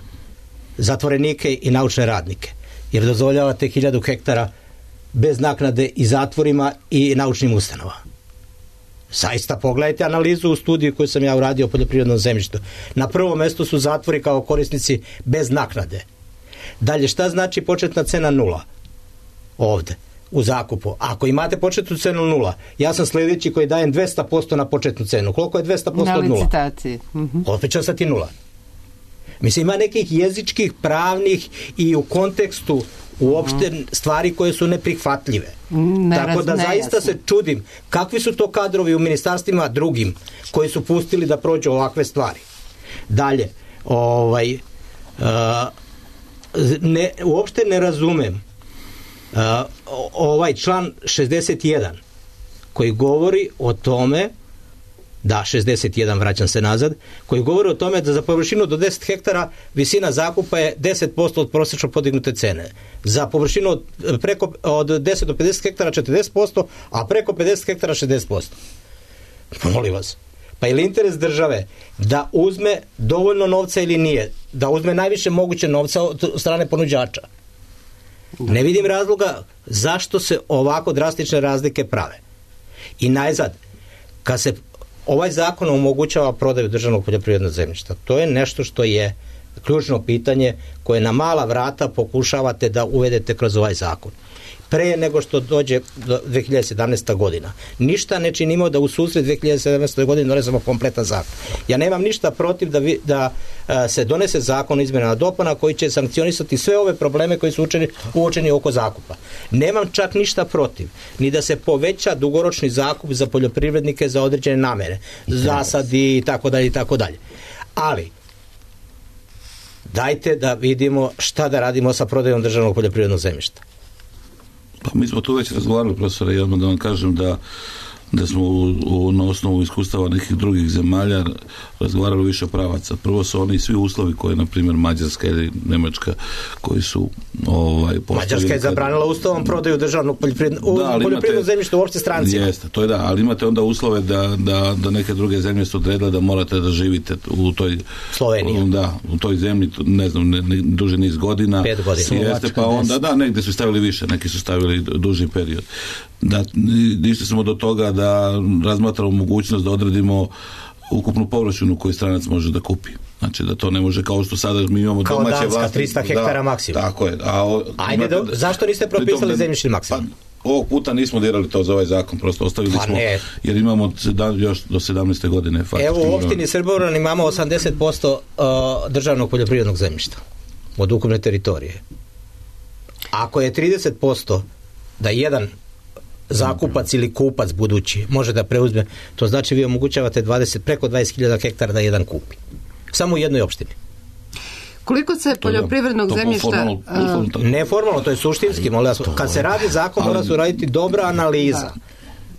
zatvorenike i naučne radnike, jer dozvoljavate hiljadu hektara bez naknade i zatvorima i naučnim ustanovama? Zaista pogledajte analizu u studiju koju sam ja uradio o poljoprivrednom zemljištu. Na prvom mestu su zatvori kao korisnici bez naknade. Dalje, šta znači početna cena nula ovde u zakupu? Ako imate početnu cenu nula, ja sam sljedeći koji dajem dvesta posto na početnu cenu. Koliko je dvesta posto od nula? Na licitaciji. Uh-huh. Opet će ostati nula. Mislim, ima nekih jezičkih, pravnih i u kontekstu uopšte stvari koje su neprihvatljive. Ne, Tako da zaista jasno. se čudim kakvi su to kadrovi u ministarstvima drugim koji su pustili da prođu ovakve stvari. Dalje, ovaj, uh, ne, uopšte ne razumem uh, ovaj član šezdeset jedan koji govori o tome, da, šezdeset jedan, vraćam se nazad, koji govori o tome da za površinu do deset hektara visina zakupa je deset posto od prosječno podignute cene. Za površinu od, preko, od deset do pedeset hektara četrdeset posto, a preko pedeset hektara šezdeset posto. Molim vas. Pa je li interes države da uzme dovoljno novca ili nije? Da uzme najviše moguće novca od strane ponuđača? Ne vidim razloga zašto se ovako drastične razlike prave. I najzad, kad se ovaj zakon omogućava prodaju državnog poljoprivrednog zemljišta, to je nešto što je ključno pitanje koje na mala vrata pokušavate da uvedete kroz ovaj zakon. Pre nego što dođe do dve hiljade sedamnaeste. godina. Ništa ne činimo da u susret dve hiljade sedamnaeste. godine donesemo kompletan zakon. Ja nemam ništa protiv da, vi, da a, se donese zakon o izmenama dopuna koji će sankcionisati sve ove probleme koji su učeni, uočeni oko zakupa. Nemam čak ništa protiv ni da se poveća dugoročni zakup za poljoprivrednike za određene namere, zasadi i tako dalje i tako dalje. Ali dajte da vidimo šta da radimo sa prodajom državnog poljoprivrednog zemljišta. Pa mi smo tu već razgovarali, profesore, i odmah da vam kažem da da smo u, u, na osnovu iskustava nekih drugih zemalja razgovarali više pravaca. Prvo su oni svi uslovi koje, na primjer, Mađarska ili Nemačka, koji su ovaj, postavili... Mađarska je zabranila ustavom prodaju državnog poljoprivrednog da, poljoprivrednog zemljišta uopšte strancima. Jeste, to je da, ali imate onda uslove da, da, da neke druge zemlje su odredile da morate da živite u toj Sloveniji. Da, u toj zemlji, ne znam, ne, ne, duže niz godina. Pet godina. Jeste, pa onda, da, negde su stavili više, neki su stavili duži period. Da, išli smo do toga da razmatramo mogućnost da odredimo ukupnu površinu koju stranac može da kupi. Znači da to ne može kao što sada mi imamo kao domaće Danska, vlasti. trista hektara da, maksimum. Tako je. A o, Ajde, da, zašto niste propisali zemljišni maksimum? Pa, ovog puta nismo dirali to za ovaj zakon, prosto ostavili pa smo, ne. jer imamo još do sedamnaeste godine. Evo u opštini Srbobran imamo osamdeset posto uh, državnog poljoprivrednog zemljišta od ukupne teritorije. Ako je trideset posto da jedan zakupac ili kupac budući može da preuzme, to znači vi omogućavate dvadeset, preko dvadeset hiljada hektara da jedan kupi. Samo u jednoj opštini. Koliko se poljoprivrednog to, to zemljišta... Formalno, uh, neformalno, to je suštinski. Molim, kad se radi zakon, mora se uraditi dobra analiza. Da.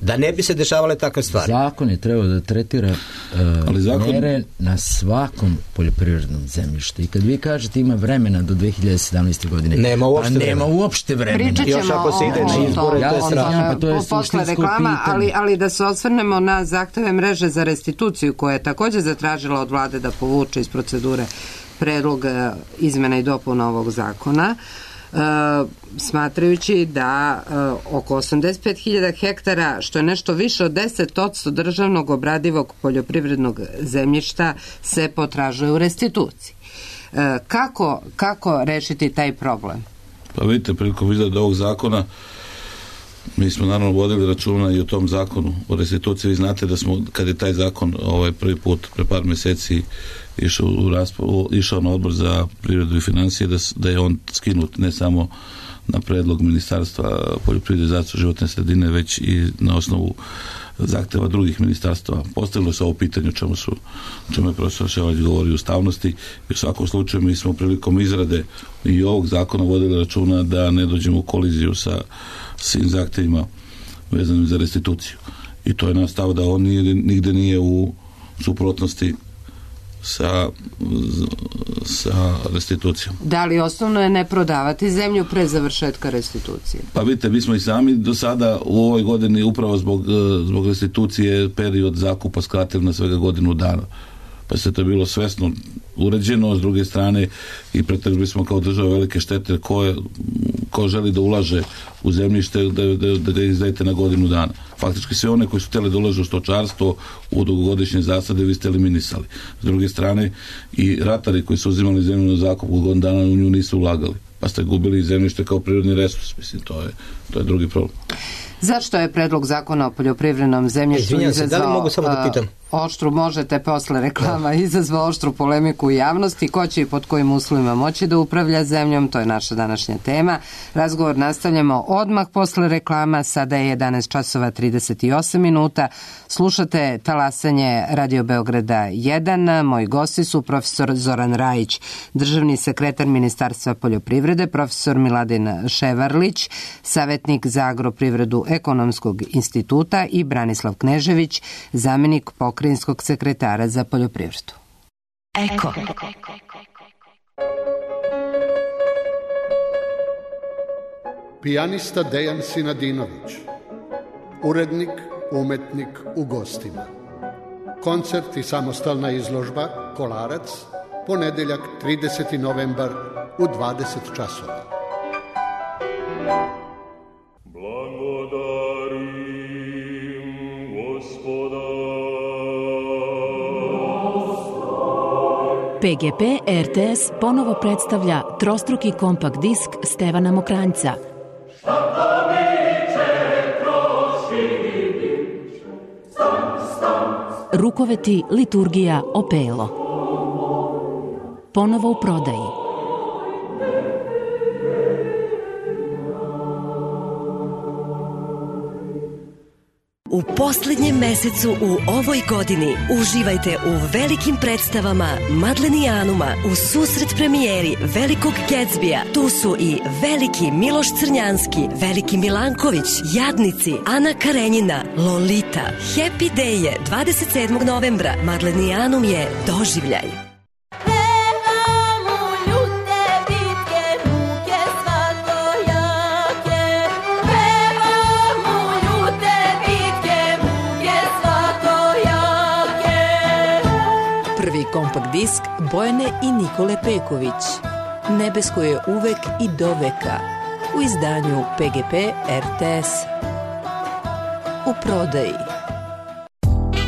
da ne bi se dešavale takve stvari. Zakon je trebao da tretira uh, zakon... mere na svakom poljoprivrednom zemljištu. I kad vi kažete ima vremena do dve hiljade sedamnaeste. godine, nema uopšte, pa nema uopšte vremena. Pričat ćemo još ako se ide na izbore, ja to je strašno. Pa to je posle reklama, ali, ali da se osvrnemo na zahteve mreže za restituciju koja je također zatražila od vlade da povuče iz procedure predlog izmena i dopuna ovog zakona. Uh, smatrajući da uh, oko osamdeset pet hiljada hektara, što je nešto više od deset posto državnog obradivog poljoprivrednog zemljišta, se potražuje u restituciji. Uh, kako, kako rešiti taj problem? Pa vidite, prilikom izrade ovog zakona mi smo naravno vodili računa i o tom zakonu o restituciji. Vi znate da smo, kad je taj zakon ovaj prvi put pre par meseci išao, u raspravu, išao na odbor za privredu i financije, da, da je on skinut ne samo na predlog Ministarstva poljoprivrede i zaštitu životne sredine, već i na osnovu zahteva drugih ministarstva. Postavilo se ovo pitanje o čemu, su, o čemu je profesor Ševać govori o ustavnosti i u svakom slučaju mi smo prilikom izrade i ovog zakona vodili računa da ne dođemo u koliziju sa svim zahtevima vezanim za restituciju. I to je naš stav da on nije, nigde nije u suprotnosti sa, sa restitucijom. Da li osnovno je ne prodavati zemlju pre završetka restitucije? Pa vidite, mi smo i sami do sada u ovoj godini upravo zbog, zbog restitucije period zakupa skratili na svega godinu dana. Pa se to je bilo svesno uređeno, s druge strane i pretrpili smo kao država velike štete ko, je, ko želi da ulaže u zemljište da, da, da ga izdajete na godinu dana. Faktički sve one koji su htjeli da ulažu u stočarstvo, u dugogodišnje zasade, vi ste eliminisali. S druge strane i ratari koji su uzimali zemlju na zakup u godinu dana u nju nisu ulagali. Pa ste gubili zemljište kao prirodni resurs. Mislim, to je, to je drugi problem. Zašto je predlog zakona o poljoprivrednom zemljištu Izvinjam se, da li mogu samo da pitam? Oštru, možete posle reklama, izazvao oštru polemiku u javnosti, ko će i pod kojim uslovima moći da upravlja zemljom, to je naša današnja tema. Razgovor nastavljamo odmah posle reklama, sada je jedanaest časova trideset osam minuta. Slušate talasanje Radio Beograda jedan, moji gosti su profesor Zoran Rajić, državni sekretar Ministarstva poljoprivrede, profesor Miladin Ševarlić, savjetnik za agroprivredu Ekonomskog instituta i Branislav Knežević, zamenik pokrajinskog sekretara za poljoprivredu. Eko. Pijanista Dejan Sinadinović, urednik, umetnik u gostima. Koncert i samostalna izložba Kolarac, ponedeljak trideseti novembar u dvadeset časova. P G P R T S ponovo predstavlja trostruki kompakt disk Stevana Mokranjca. Rukoveti, liturgija, opelo. Ponovo u prodaji. U posljednjem mesecu u ovoj godini uživajte u velikim predstavama Madlenijanuma u susret premijeri Velikog Gatsbija. Tu su i Veliki Miloš Crnjanski, Veliki Milanković, Jadnici, Ana Karenjina, Lolita. Happy Day je dvadeset sedmog novembra. Madlenijanum je doživljaj. Prvi kompakt disk Bojane i Nikole Peković. Nebesko je uvek i doveka. U izdanju P G P R T S. U prodaji.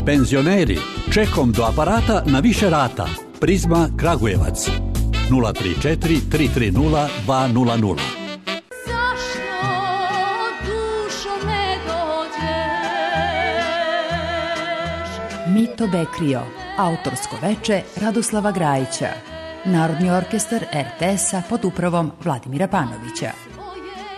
Penzioneri, čekom do aparata na više rata. Prizma Kragujevac. nula tri četiri tri tri nula dva nula nula. Mito Bekrio. Autorsko veče Radoslava Grajića. Narodni orkestar R T S-a pod upravom Vladimira Panovića.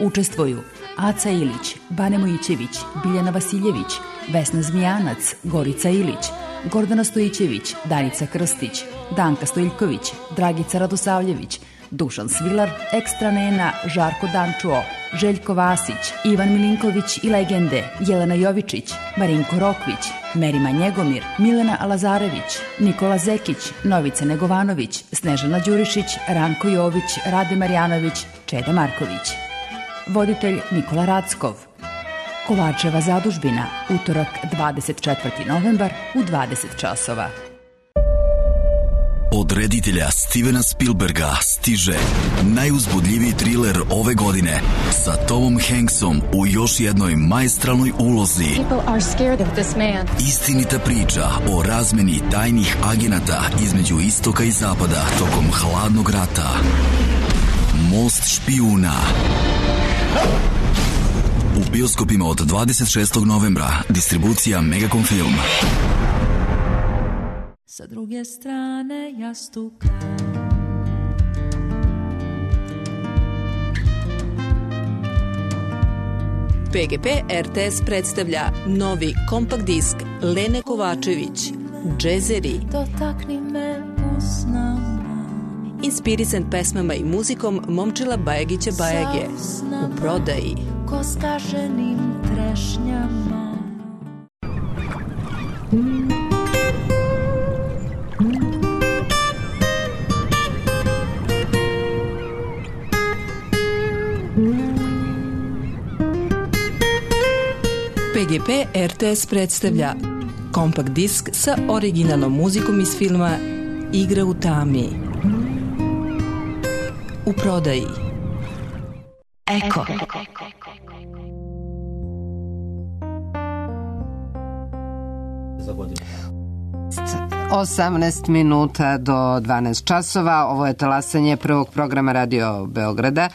Učestvuju Aca Ilić, Bane Mojićević, Biljana Vasiljević, Vesna Zmijanac, Gorica Ilić, Gordana Stojićević, Danica Krstić, Danka Stojiljković, Dragica Radosavljević, Dušan Svilar, Ekstra Nena, Žarko Dančuo, Željko Vasić, Ivan Milinković i legende, Jelena Jovičić, Marinko Rokvić, Merima Njegomir, Milena Lazarević, Nikola Zekić, Novica Negovanović, Snežana Đurišić, Ranko Jović, Rade Marjanović, Čeda Marković. Voditelj Nikola Rackov. Kovačeva zadužbina, utorak dvadeset četvrti novembar u dvadeset časova. Od reditelja Stevena Spielberga stiže najuzbudljiviji triler ove godine sa Tomom Hanksom u još jednoj maestralnoj ulozi. Istinita priča o razmeni tajnih agenata između istoka i zapada tokom hladnog rata. Most špijuna. U bioskopima od dvadeset šestog novembra. Distribucija Megacom Film. Sa druge strane jastuka P G P R T S predstavlja novi kompakt disk Lene Kovačević, Džezeri. Dotakni me usnama. Inspirisan pesmama i muzikom Momčila Bajagića Bajage. U prodaji. Ko skaženim trešnjama. P G P R T S predstavlja kompakt disk sa originalnom muzikom iz filma Igra u tami. U prodaji. Eko. osamnaest minuta do dvanaest časova. Ovo je talasanje prvog programa Radio Beograda.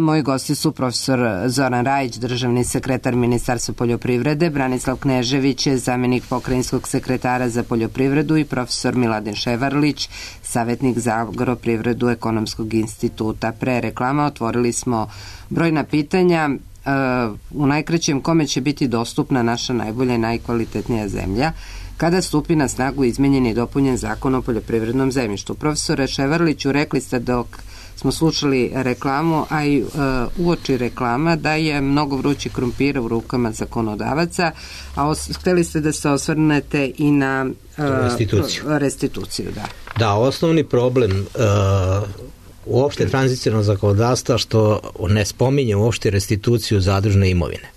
Moji gosti su profesor Zoran Rajić, državni sekretar Ministarstva poljoprivrede, Branislav Knežević, zamjenik pokrajinskog sekretara za poljoprivredu i profesor Miladin Ševarlić, savjetnik za agroprivredu Ekonomskog instituta. Pre reklama otvorili smo brojna pitanja. U najkraćem, kome će biti dostupna naša najbolja i najkvalitetnija zemlja kada stupi na snagu izmenjen i dopunjen zakon o poljoprivrednom zemljištu. Profesore Ševarliću, rekli ste dok smo slušali reklamu, a i uh, uoči reklama, da je mnogo vrući krompira u rukama zakonodavaca, a os- hteli ste da se osvrnete i na uh, restituciju. restituciju da. Da, osnovni problem uh, uopšte tranzicionalnog zakonodavstva što ne spominje uopšte restituciju zadružne imovine.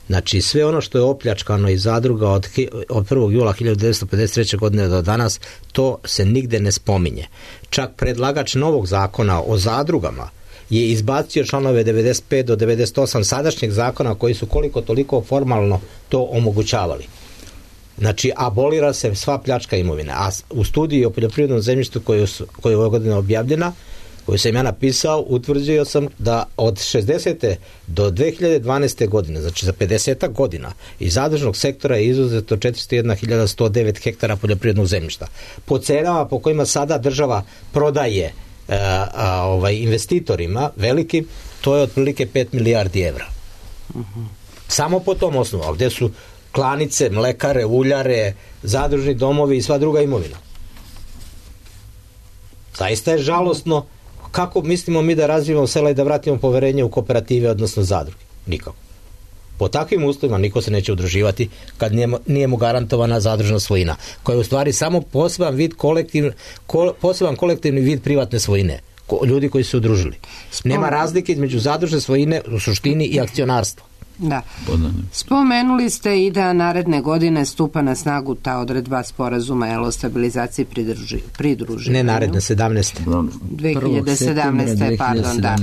Znači, sve ono što je opljačkano iz zadruga od, od prvog jula hiljadu devetsto pedeset treće. godine do danas, to se nigde ne spominje. Čak predlagač novog zakona o zadrugama je izbacio članove devedeset pet do devedeset osam sadašnjeg zakona koji su koliko toliko formalno to omogućavali. Znači, abolira se sva pljačka imovine. A u studiji o poljoprivrednom zemljištu koja je ove godine objavljena, koju sam ja napisao, utvrđio sam da od šezdesete do dve hiljade dvanaeste. godine, znači za pedeset godina, iz zadružnog sektora je izuzeto četiristo jedna hiljada sto devet hektara poljoprivrednog zemljišta. Po cenama po kojima sada država prodaje a, a, ovaj, investitorima velikim, to je otprilike pet milijardi evra. Uh-huh. Samo po tom osnovu, a gde su klanice, mlekare, uljare, zadružni domovi i sva druga imovina. Zaista je žalosno. Kako mislimo mi da razvijemo sela i da vratimo poverenje u kooperative, odnosno zadruge? Nikako. Po takvim uslovima niko se neće udruživati kad nije, nije mu garantovana zadružna svojina, koja je u stvari samo poseban vid kolektiv, ko, poseban kolektivni vid privatne svojine. Ko, ljudi koji su se udružili. Nema razlike između zadružne svojine u suštini i akcionarstva. Da. Spomenuli ste i da naredne godine stupa na snagu ta odredba sporazuma jel, o stabilizaciji pridruži, pridruživanju. Ne naredne, sedamnaeste. dve hiljade sedamnaeste. Pardon, da.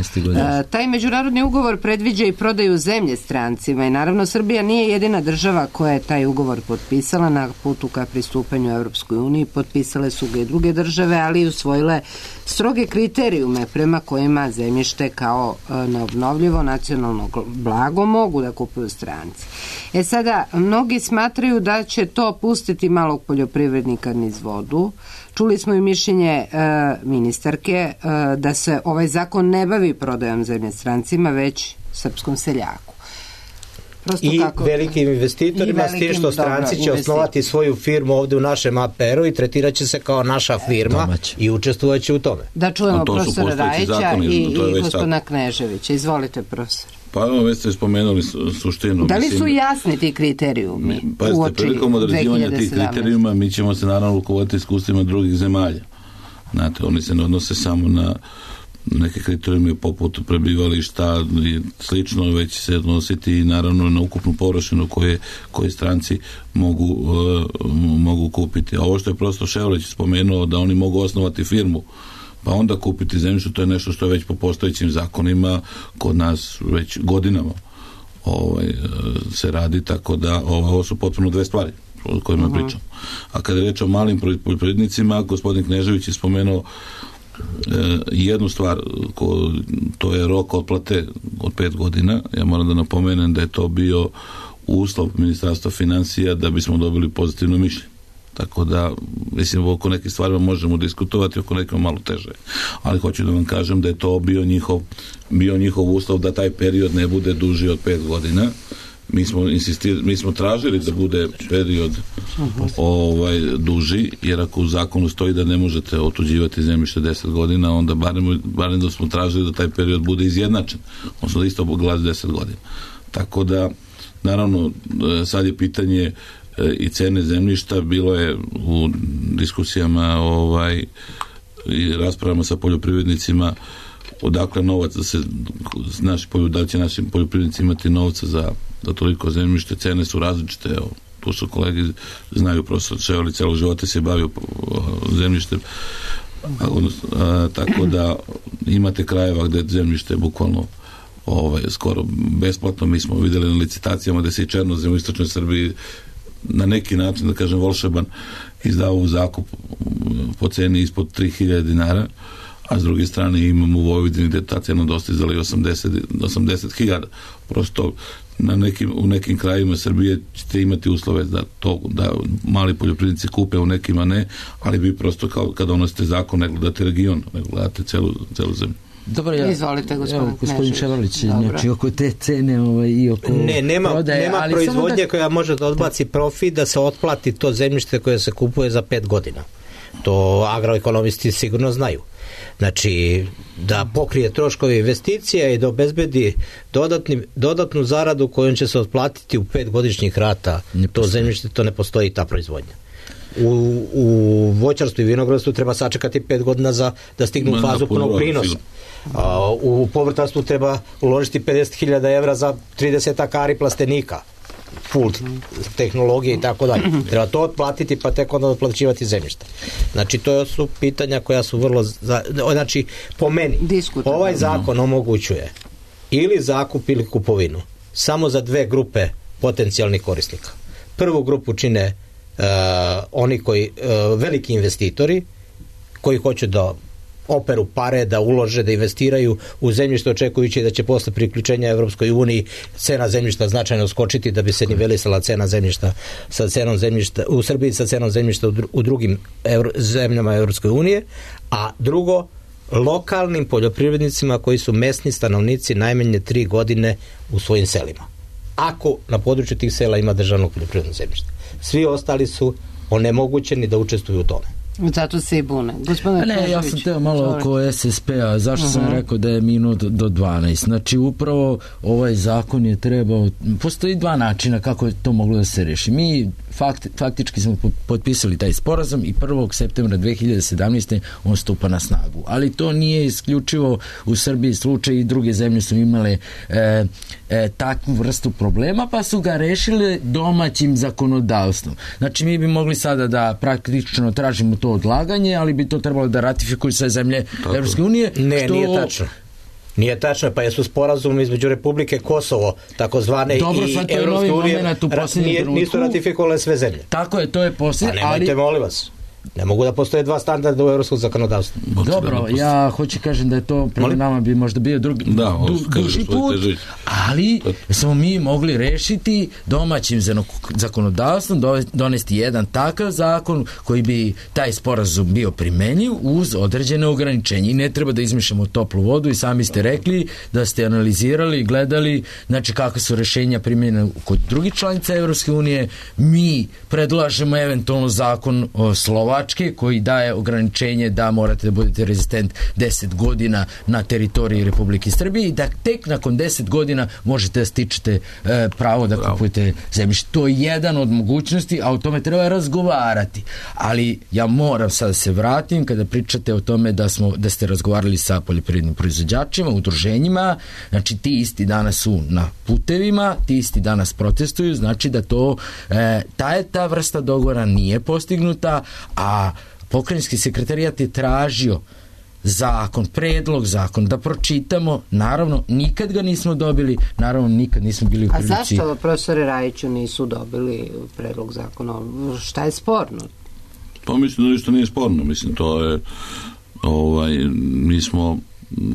E, taj međunarodni ugovor predviđa i prodaju zemlje strancima i naravno Srbija nije jedina država koja je taj ugovor potpisala na putu ka pristupanju Evropskoj uniji. Potpisale su ga i druge države, ali i usvojile stroge kriterijume prema kojima zemljište kao e, neobnovljivo nacionalno blago mogu da kupuju stranci. E sada, mnogi smatraju da će to pustiti malog poljoprivrednika niz vodu. Čuli smo i mišljenje e, ministarke e, da se ovaj zakon ne bavi prodajom zemlje strancima, već srpskom seljaku. Prosto I kako... velikim investitorima, s tim što stranci će osnovati svoju firmu ovde u našem A P R-u i tretirat će se kao naša firma Domać. I učestvovat će u tome. Da čujemo profesora Rajića i, i gospodina Kneževića. Izvolite, profesor. Pa evo, već ste spomenuli suštinu. Da li su jasni ti kriterijumi? Pazite, prilikom određivanja tih kriterijuma mi ćemo se naravno rukovoditi iskustvima drugih zemalja. Znate, oni se ne odnose samo na neke kriterijume poput prebivališta i slično, već se odnositi i naravno na ukupnu površinu koje, koje stranci mogu, uh, mogu kupiti. A ovo što je prosto Ševlić spomenuo da oni mogu osnovati firmu pa onda kupiti zemljište, to je nešto što je već po postojećim zakonima kod nas već godinama ovaj, se radi, tako da ovo su potpuno dve stvari o kojima uh-huh. pričam. A kada je reč o malim poljoprivrednicima, gospodin Knežević je spomenuo e, jednu stvar, ko, to je rok otplate od pet godina. Ja moram da napomenem da je to bio uslov Ministarstva finansija da bismo dobili pozitivno mišljenje. Tako da, mislim, oko nekih stvarima možemo diskutovati, oko nekima malo teže. Ali hoću da vam kažem da je to bio njihov, bio njihov uslov da taj period ne bude duži od pet godina. Mi smo, insistir, mi smo tražili da bude period ovaj, duži, jer ako u zakonu stoji da ne možete otuđivati zemljište deset godina, onda barem, barem da smo tražili da taj period bude izjednačen. Odnosno da isto glasi deset godina. Tako da, naravno, sad je pitanje i cene zemljišta, bilo je u diskusijama ovaj, i raspravama sa poljoprivrednicima odakle novac da se naši, da će našim poljoprivrednici imati novca za, za toliko zemljište, cene su različite, evo, tu su kolege znaju, profesor Ševali celo života se bavio zemljištem, a, a, tako da imate krajeva gde zemljište bukvalno ovaj, skoro besplatno. Mi smo videli na licitacijama da se i černozem u istočnoj Srbiji na neki način, da kažem, volšeban izdao u zakup po ceni ispod tri hiljade dinara, a s druge strane imamo u Vojvodini gde ta cena dostizala i osamdeset hiljada. Prosto na nekim, u nekim krajima Srbije ćete imati uslove da, to, da mali poljoprivrednici kupe, u nekima ne, ali vi prosto kao kada donosite zakon ne gledate region, ne gledate celu, celu zemlju. Dobro, ja, izvolite, gospodin, evo, gospodin Ševalić, znači oko te cene ovaj, i oko ne, nema, prodaje, nema ali proizvodnje da... koja može da odbaci profit da se otplati to zemljište koje se kupuje za pet godina. To agroekonomisti sigurno znaju. Znači, da pokrije troškove investicija i da obezbedi dodatni, dodatnu zaradu kojom će se otplatiti u pet godišnjih rata to zemljište, to ne postoji ta proizvodnja. U, u voćarstvu i vinogradstvu treba sačekati pet godina za da stignu u fazu punog prinosa. A, u povrtarstvu treba uložiti pedeset hiljada evra za trideset akari plastenika, full tehnologije i tako dalje. Treba to otplatiti pa tek onda otplaćivati zemljište. Znači to su pitanja koja su vrlo za, znači po meni ovaj zakon omogućuje ili zakup ili kupovinu samo za dve grupe potencijalnih korisnika. Prvu grupu čine Uh, oni koji, uh, veliki investitori koji hoće da operu pare, da ulože, da investiraju u zemljište očekujući da će posle priključenja Evropskoj uniji cena zemljišta značajno skočiti da bi se nivelisala cena zemljišta sa cenom zemljišta u Srbiji sa cenom zemljišta u, dru, u drugim evro, zemljama Evropske unije, a drugo lokalnim poljoprivrednicima koji su mesni stanovnici najmanje tri godine u svojim selima. ako na području tih sela ima državnog poljoprivrednog zemljišta. Svi ostali su onemogućeni da učestvuju u tome. Zato se i bune. Gospodine ne, ja sam teo malo oko S S P-a. Zašto uh-huh. sam rekao da je minut do dvanaest? Znači, upravo ovaj zakon je trebao... Postoji dva načina kako je to moglo da se reši. Mi fakt, faktički smo potpisali taj sporazum i prvog septembra dve hiljade sedamnaeste. on stupa na snagu. Ali to nije isključivo u Srbiji slučaj, i druge zemlje su imale e, e, takvu vrstu problema, pa su ga rešile domaćim zakonodavstvom. Znači, mi bi mogli sada da praktično tražimo to odlaganje, ali bi to trebalo da ratifikuju sve zemlje Evropske unije. Ne, što... nije tačno. Nije tačno, pa jesu sporazum između Republike Kosovo, takozvane, dobro, i Evropske unije, ra- nisu ratifikovale sve zemlje. Tako je, to je poslije. A nemojte, ali... molim vas. Ne mogu da postoje dva standarda u evropskom zakonodavstvu. Dobro, ja hoću kažem da je to prema nama bi možda bio drugi, da, du, duži put, ali smo mi mogli rešiti domaćim zakonodavstvom, donesti jedan takav zakon koji bi taj sporazum bio primenjiv uz određene ograničenje. I ne treba da izmišljamo toplu vodu, i sami ste rekli da ste analizirali, gledali, znači kakve su rešenja primjenjene kod drugih članica Evropske unije. Mi predlažemo eventualno zakon o Slovačke koji daje ograničenje da morate da budete rezistent deset godina na teritoriji Republike Srbije i da tek nakon deset godina možete da stičete e, pravo da Bravo. kupujete zemljište. To je jedan od mogućnosti, a o tome treba razgovarati. Ali ja moram sad da se vratim kada pričate o tome da, smo, da ste razgovarali sa poljoprivrednim proizvođačima, udruženjima, znači ti isti danas su na putevima, ti isti danas protestuju, znači da to e, ta je ta vrsta dogovora nije postignuta, a pokrajinski sekretarijat je tražio zakon, predlog zakon, da pročitamo, naravno nikad ga nismo dobili, naravno nikad nismo bili u prilici. A zašto, profesore Rajiću, nisu dobili predlog zakona? Šta je sporno? Pa mislim da ništa nije sporno, mislim to je ovaj, mi smo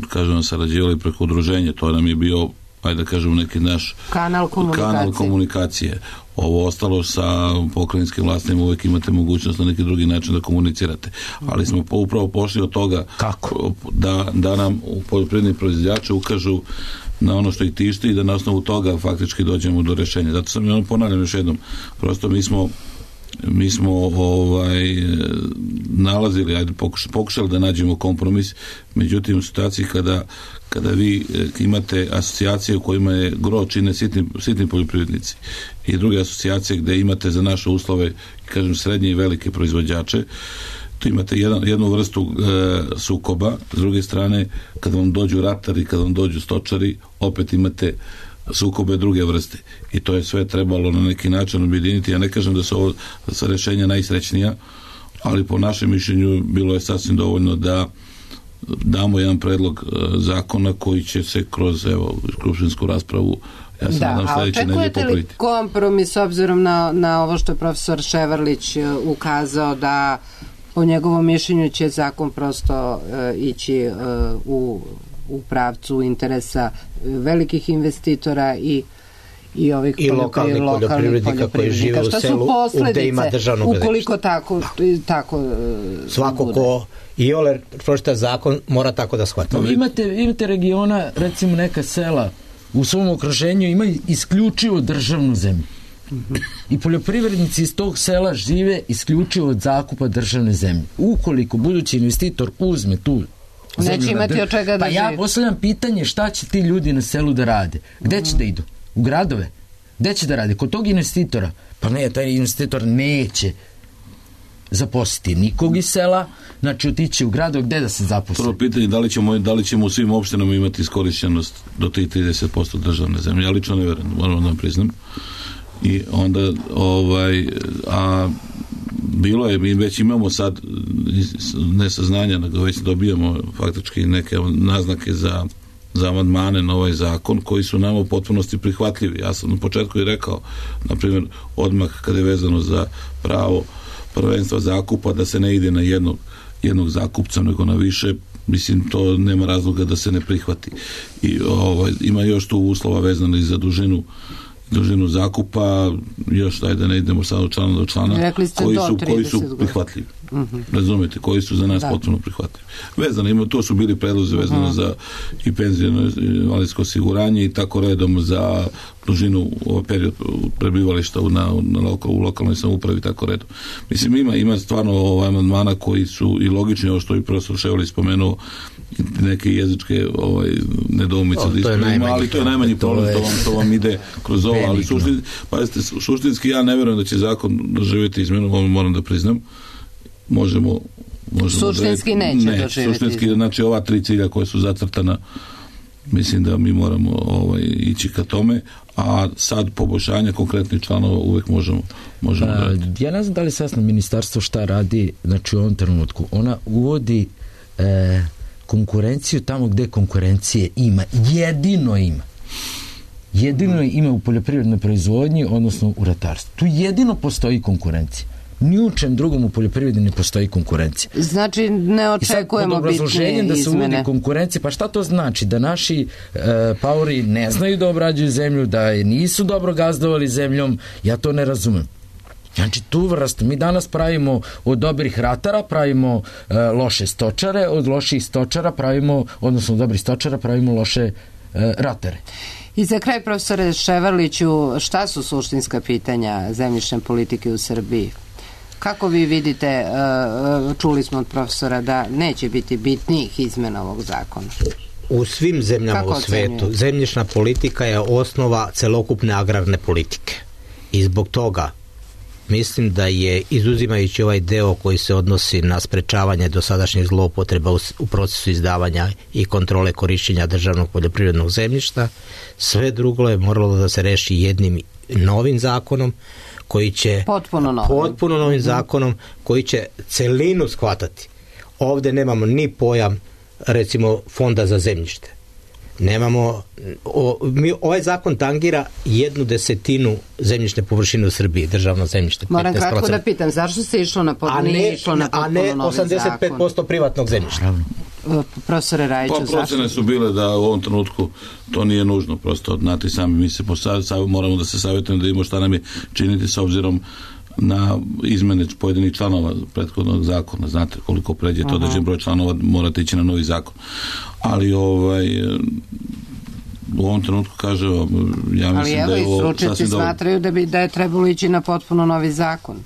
kažem sarađivali preko udruženja, to nam je bio, ajde da kažem, neki naš kanal komunikacije. kanal komunikacije. Ovo ostalo sa pokrajinskim vlastima uvijek imate mogućnost na neki drugi način da komunicirate. Ali smo upravo pošli od toga Kako? da, da nam poljoprivredni proizvođači ukažu na ono što ih tišti i da na osnovu toga faktički dođemo do rešenja. Zato sam ja ponavljam još jednom. Prosto mi smo mi smo ovaj nalazili, ajde pokušali, pokušali da nađemo kompromis, međutim u situaciji kada, kada vi imate asocijacije u kojima je gro čine sitni, sitni poljoprivrednici i druge asocijacije gde imate za naše uslove, kažem, srednje i velike proizvođače, tu imate jedan, jednu vrstu e, sukoba, s druge strane kada vam dođu ratari, kada vam dođu stočari, opet imate sukobe druge vrste i to je sve trebalo na neki način objediniti. Ja ne kažem da su ovo sa rešenja najsrećnija, ali po našem mišljenju bilo je sasvim dovoljno da damo jedan predlog zakona koji će se kroz evo skupštinsku raspravu, ja se nadam sledeće nedelje popraviti. Očekujete li kompromis s obzirom na, na ovo što je profesor Ševarlić ukazao, da po njegovom mišljenju će zakon prosto uh, ići uh, u u pravcu interesa velikih investitora i i ovih i lokalnih poljoprivrednika koji žive u selu gde ima državnog zemljišta. Ukoliko tako, tako svako ko i ole pročita zakon mora tako da shvata. No, imate, imate regiona, recimo neka sela u svom okruženju imaju isključivo državnu zemlju. Mm-hmm. I poljoprivrednici iz tog sela žive isključivo od zakupa državne zemlje. Ukoliko budući investitor uzme tu neće imati od čega da pa ja postavljam pitanje šta će ti ljudi na selu da rade, gde će mm. da idu, u gradove, gde će da rade, kod tog investitora, pa ne, taj investitor neće zaposliti nikog iz sela, znači otići u gradove, gde da se zaposli. Prvo pitanje, da li ćemo, da li ćemo u svim opštinama imati iskorišćenost do tih trideset posto državne zemlje, ja lično ne verujem, moram da vam priznam. I onda ovaj, a bilo je, mi već imamo sad ne saznanja, nego već dobijamo faktički neke naznake za, za amandmane na ovaj zakon koji su nama u potpunosti prihvatljivi. Ja sam na početku i rekao, na primjer, odmah kada je vezano za pravo prvenstva zakupa, da se ne ide na jednog, jednog zakupca, nego na više, mislim, to nema razloga da se ne prihvati. I ovaj, ima još tu uslova vezano i za dužinu dužinu zakupa, još daj da ne idemo sad od člana do člana, koji su, koji su prihvatljivi. Uh-huh. Razumijete, koji su za nas da. potpuno prihvatljivi. Vezano, ima, to su bili predlozi vezano uh-huh. za i penzijno invalidsko osiguranje i tako redom za dužinu ovaj period prebivališta u, na, na lokal, u lokalnoj samoupravi, tako redom. Mislim, ima, ima stvarno ovaj amandmana koji su i logični, ovo što i profesor Ševalić spomenuo, neke jezičke ovaj, nedoumice, o, to ima, ali to je najmanji problem, to vam, to vam ide kroz ovo, ali suštin, pazite, suštinski ja ne vjerujem da će zakon doživjeti izmenu, ovo moram da priznam. Možemo, možemo suštinski neće ne, doživjeti. Suštinski, znači ova tri cilja koja su zacrtana, mislim da mi moramo ovaj, ići ka tome, a sad poboljšanje konkretnih članova uvek možemo, možemo a, raditi. Ja ne znam da li sasno ministarstvo šta radi, znači u ovom trenutku. Ona uvodi e, konkurenciju tamo gde konkurencije ima. Jedino ima. Jedino ima u poljoprivrednoj proizvodnji, odnosno u ratarstvu. Tu jedino postoji konkurencija. Ni u čem drugom u poljoprivredi ne postoji konkurencija. Znači ne očekujemo bitnije da se uvodi izmene. Konkurencija, pa šta to znači? Da naši e, paori ne znaju da obrađuju zemlju, da je nisu dobro gazdovali zemljom, ja to ne razumem. Znači tu vrstu, mi danas pravimo od dobrih ratara, pravimo e, loše stočare, od loših stočara pravimo, odnosno od dobrih stočara pravimo loše e, ratare. I za kraj, profesore Ševarliću, šta su suštinska pitanja zemljišne politike u Srbiji? Kako vi vidite, čuli smo od profesora da neće biti bitnijih izmena ovog zakona? U svim zemljama Kako u svetu zemljišna politika je osnova celokupne agrarne politike. I zbog toga mislim da je, izuzimajući ovaj deo koji se odnosi na sprečavanje dosadašnjih zloupotreba u, u procesu izdavanja i kontrole korišćenja državnog poljoprivrednog zemljišta, sve drugo je moralo da se reši jednim novim zakonom koji će potpuno novim, potpuno novim zakonom koji će celinu shvatati. Ovde nemamo ni pojam recimo fonda za zemljište. Nemamo o, mi, ovaj zakon tangira jednu desetinu zemljišne površine u Srbiji, državno zemljište. Moram kratko da pitam, zašto se išlo na potpuno, a ne, išlo na a ne osamdeset pet posto privatnog zemljišta? Profesore Rajiću, pa, zašto? Procene su bile da u ovom trenutku to nije nužno, prosto znate sami, mi se posav, moramo da se savjetujemo da imamo šta nam je činiti s obzirom na izmene pojedinih članova prethodnog zakona, znate koliko pređe to određen broj članova, morate ići na novi zakon, ali ovaj u ovom trenutku kaže ja mislim ali evo, da je ovo stručnjaci smatraju da bi da je trebalo ići na potpuno novi zakon.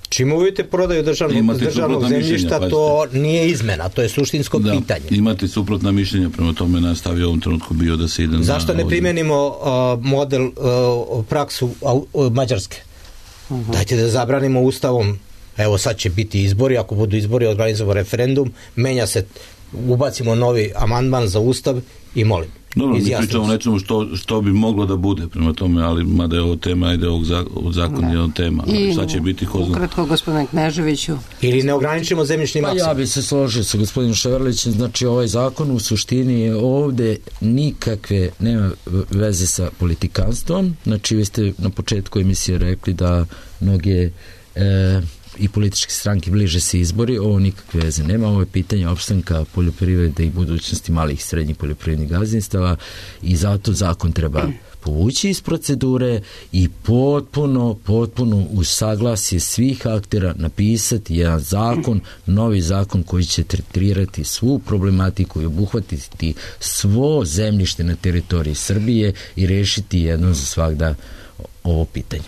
Čim uvidite prodaju državnog, državnog zemljišta, to nije izmena, to je suštinsko da, pitanje. Imate suprotna mišljenja, prema tome nastavi u ovom trenutku bio da se ide. Zašto ne primenimo uh, model, uh, praksu uh, Mađarske? Uh-huh. Dajte da zabranimo ustavom, evo sad će biti izbori, ako budu izbori organizujemo referendum, menja se, ubacimo novi amandman za ustav i molim. Dobro, mi pričamo o nečemu što, što bi moglo da bude prema tome, ali mada je ovo tema, ide ovog zakon je ovo tema. I sad će biti ko zna. Ukratko, gospodine Kneževiću. Ili ne ograničimo zemljišni maksimum. Pa ja bi se složio sa gospodinom Ševarlićem, znači ovaj zakon u suštini je ovde nikakve, nema veze sa politikanstvom, znači vi ste na početku emisije rekli da mnoge e, i političke stranke bliže se izbori, ovo nikakve veze nema, ovo je pitanje opstanka poljoprivrede i budućnosti malih i srednjih poljoprivrednih gazdinstava i zato zakon treba povući iz procedure i potpuno, potpuno u saglasje svih aktera napisati jedan zakon, novi zakon koji će tretirati svu problematiku i obuhvatiti svo zemljište na teritoriji Srbije i rešiti jednom za svagda ovo pitanje.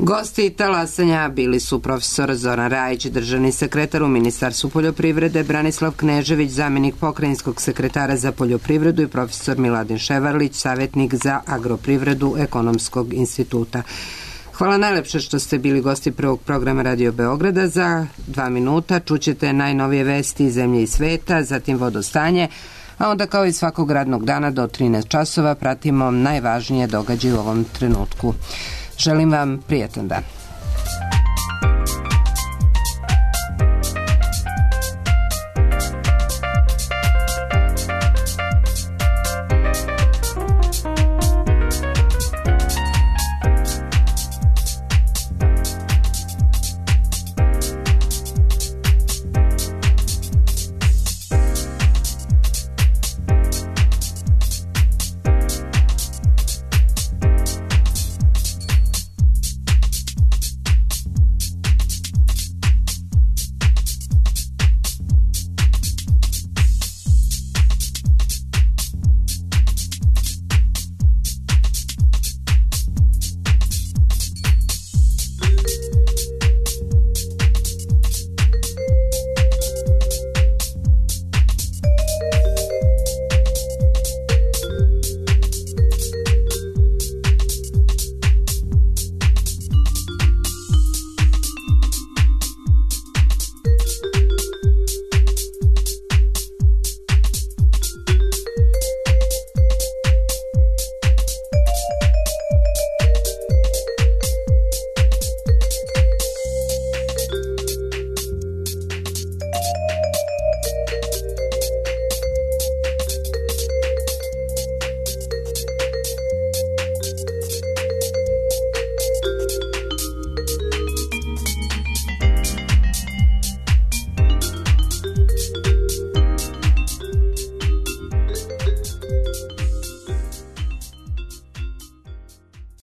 Gosti talasanja bili su profesor Zoran Rajić, državni sekretar u Ministarstvu poljoprivrede, Branislav Knežević, zamenik pokrajinskog sekretara za poljoprivredu i profesor Miladin Ševarlić, savjetnik za agroprivredu Ekonomskog instituta. Hvala najlepše što ste bili gosti prvog programa Radio Beograda. Za dva minuta čućete najnovije vesti iz zemlje i sveta, zatim vodostanje, a onda kao i svakog radnog dana do trinaest časova pratimo najvažnije događaje u ovom trenutku. Želim vam prijatan dan.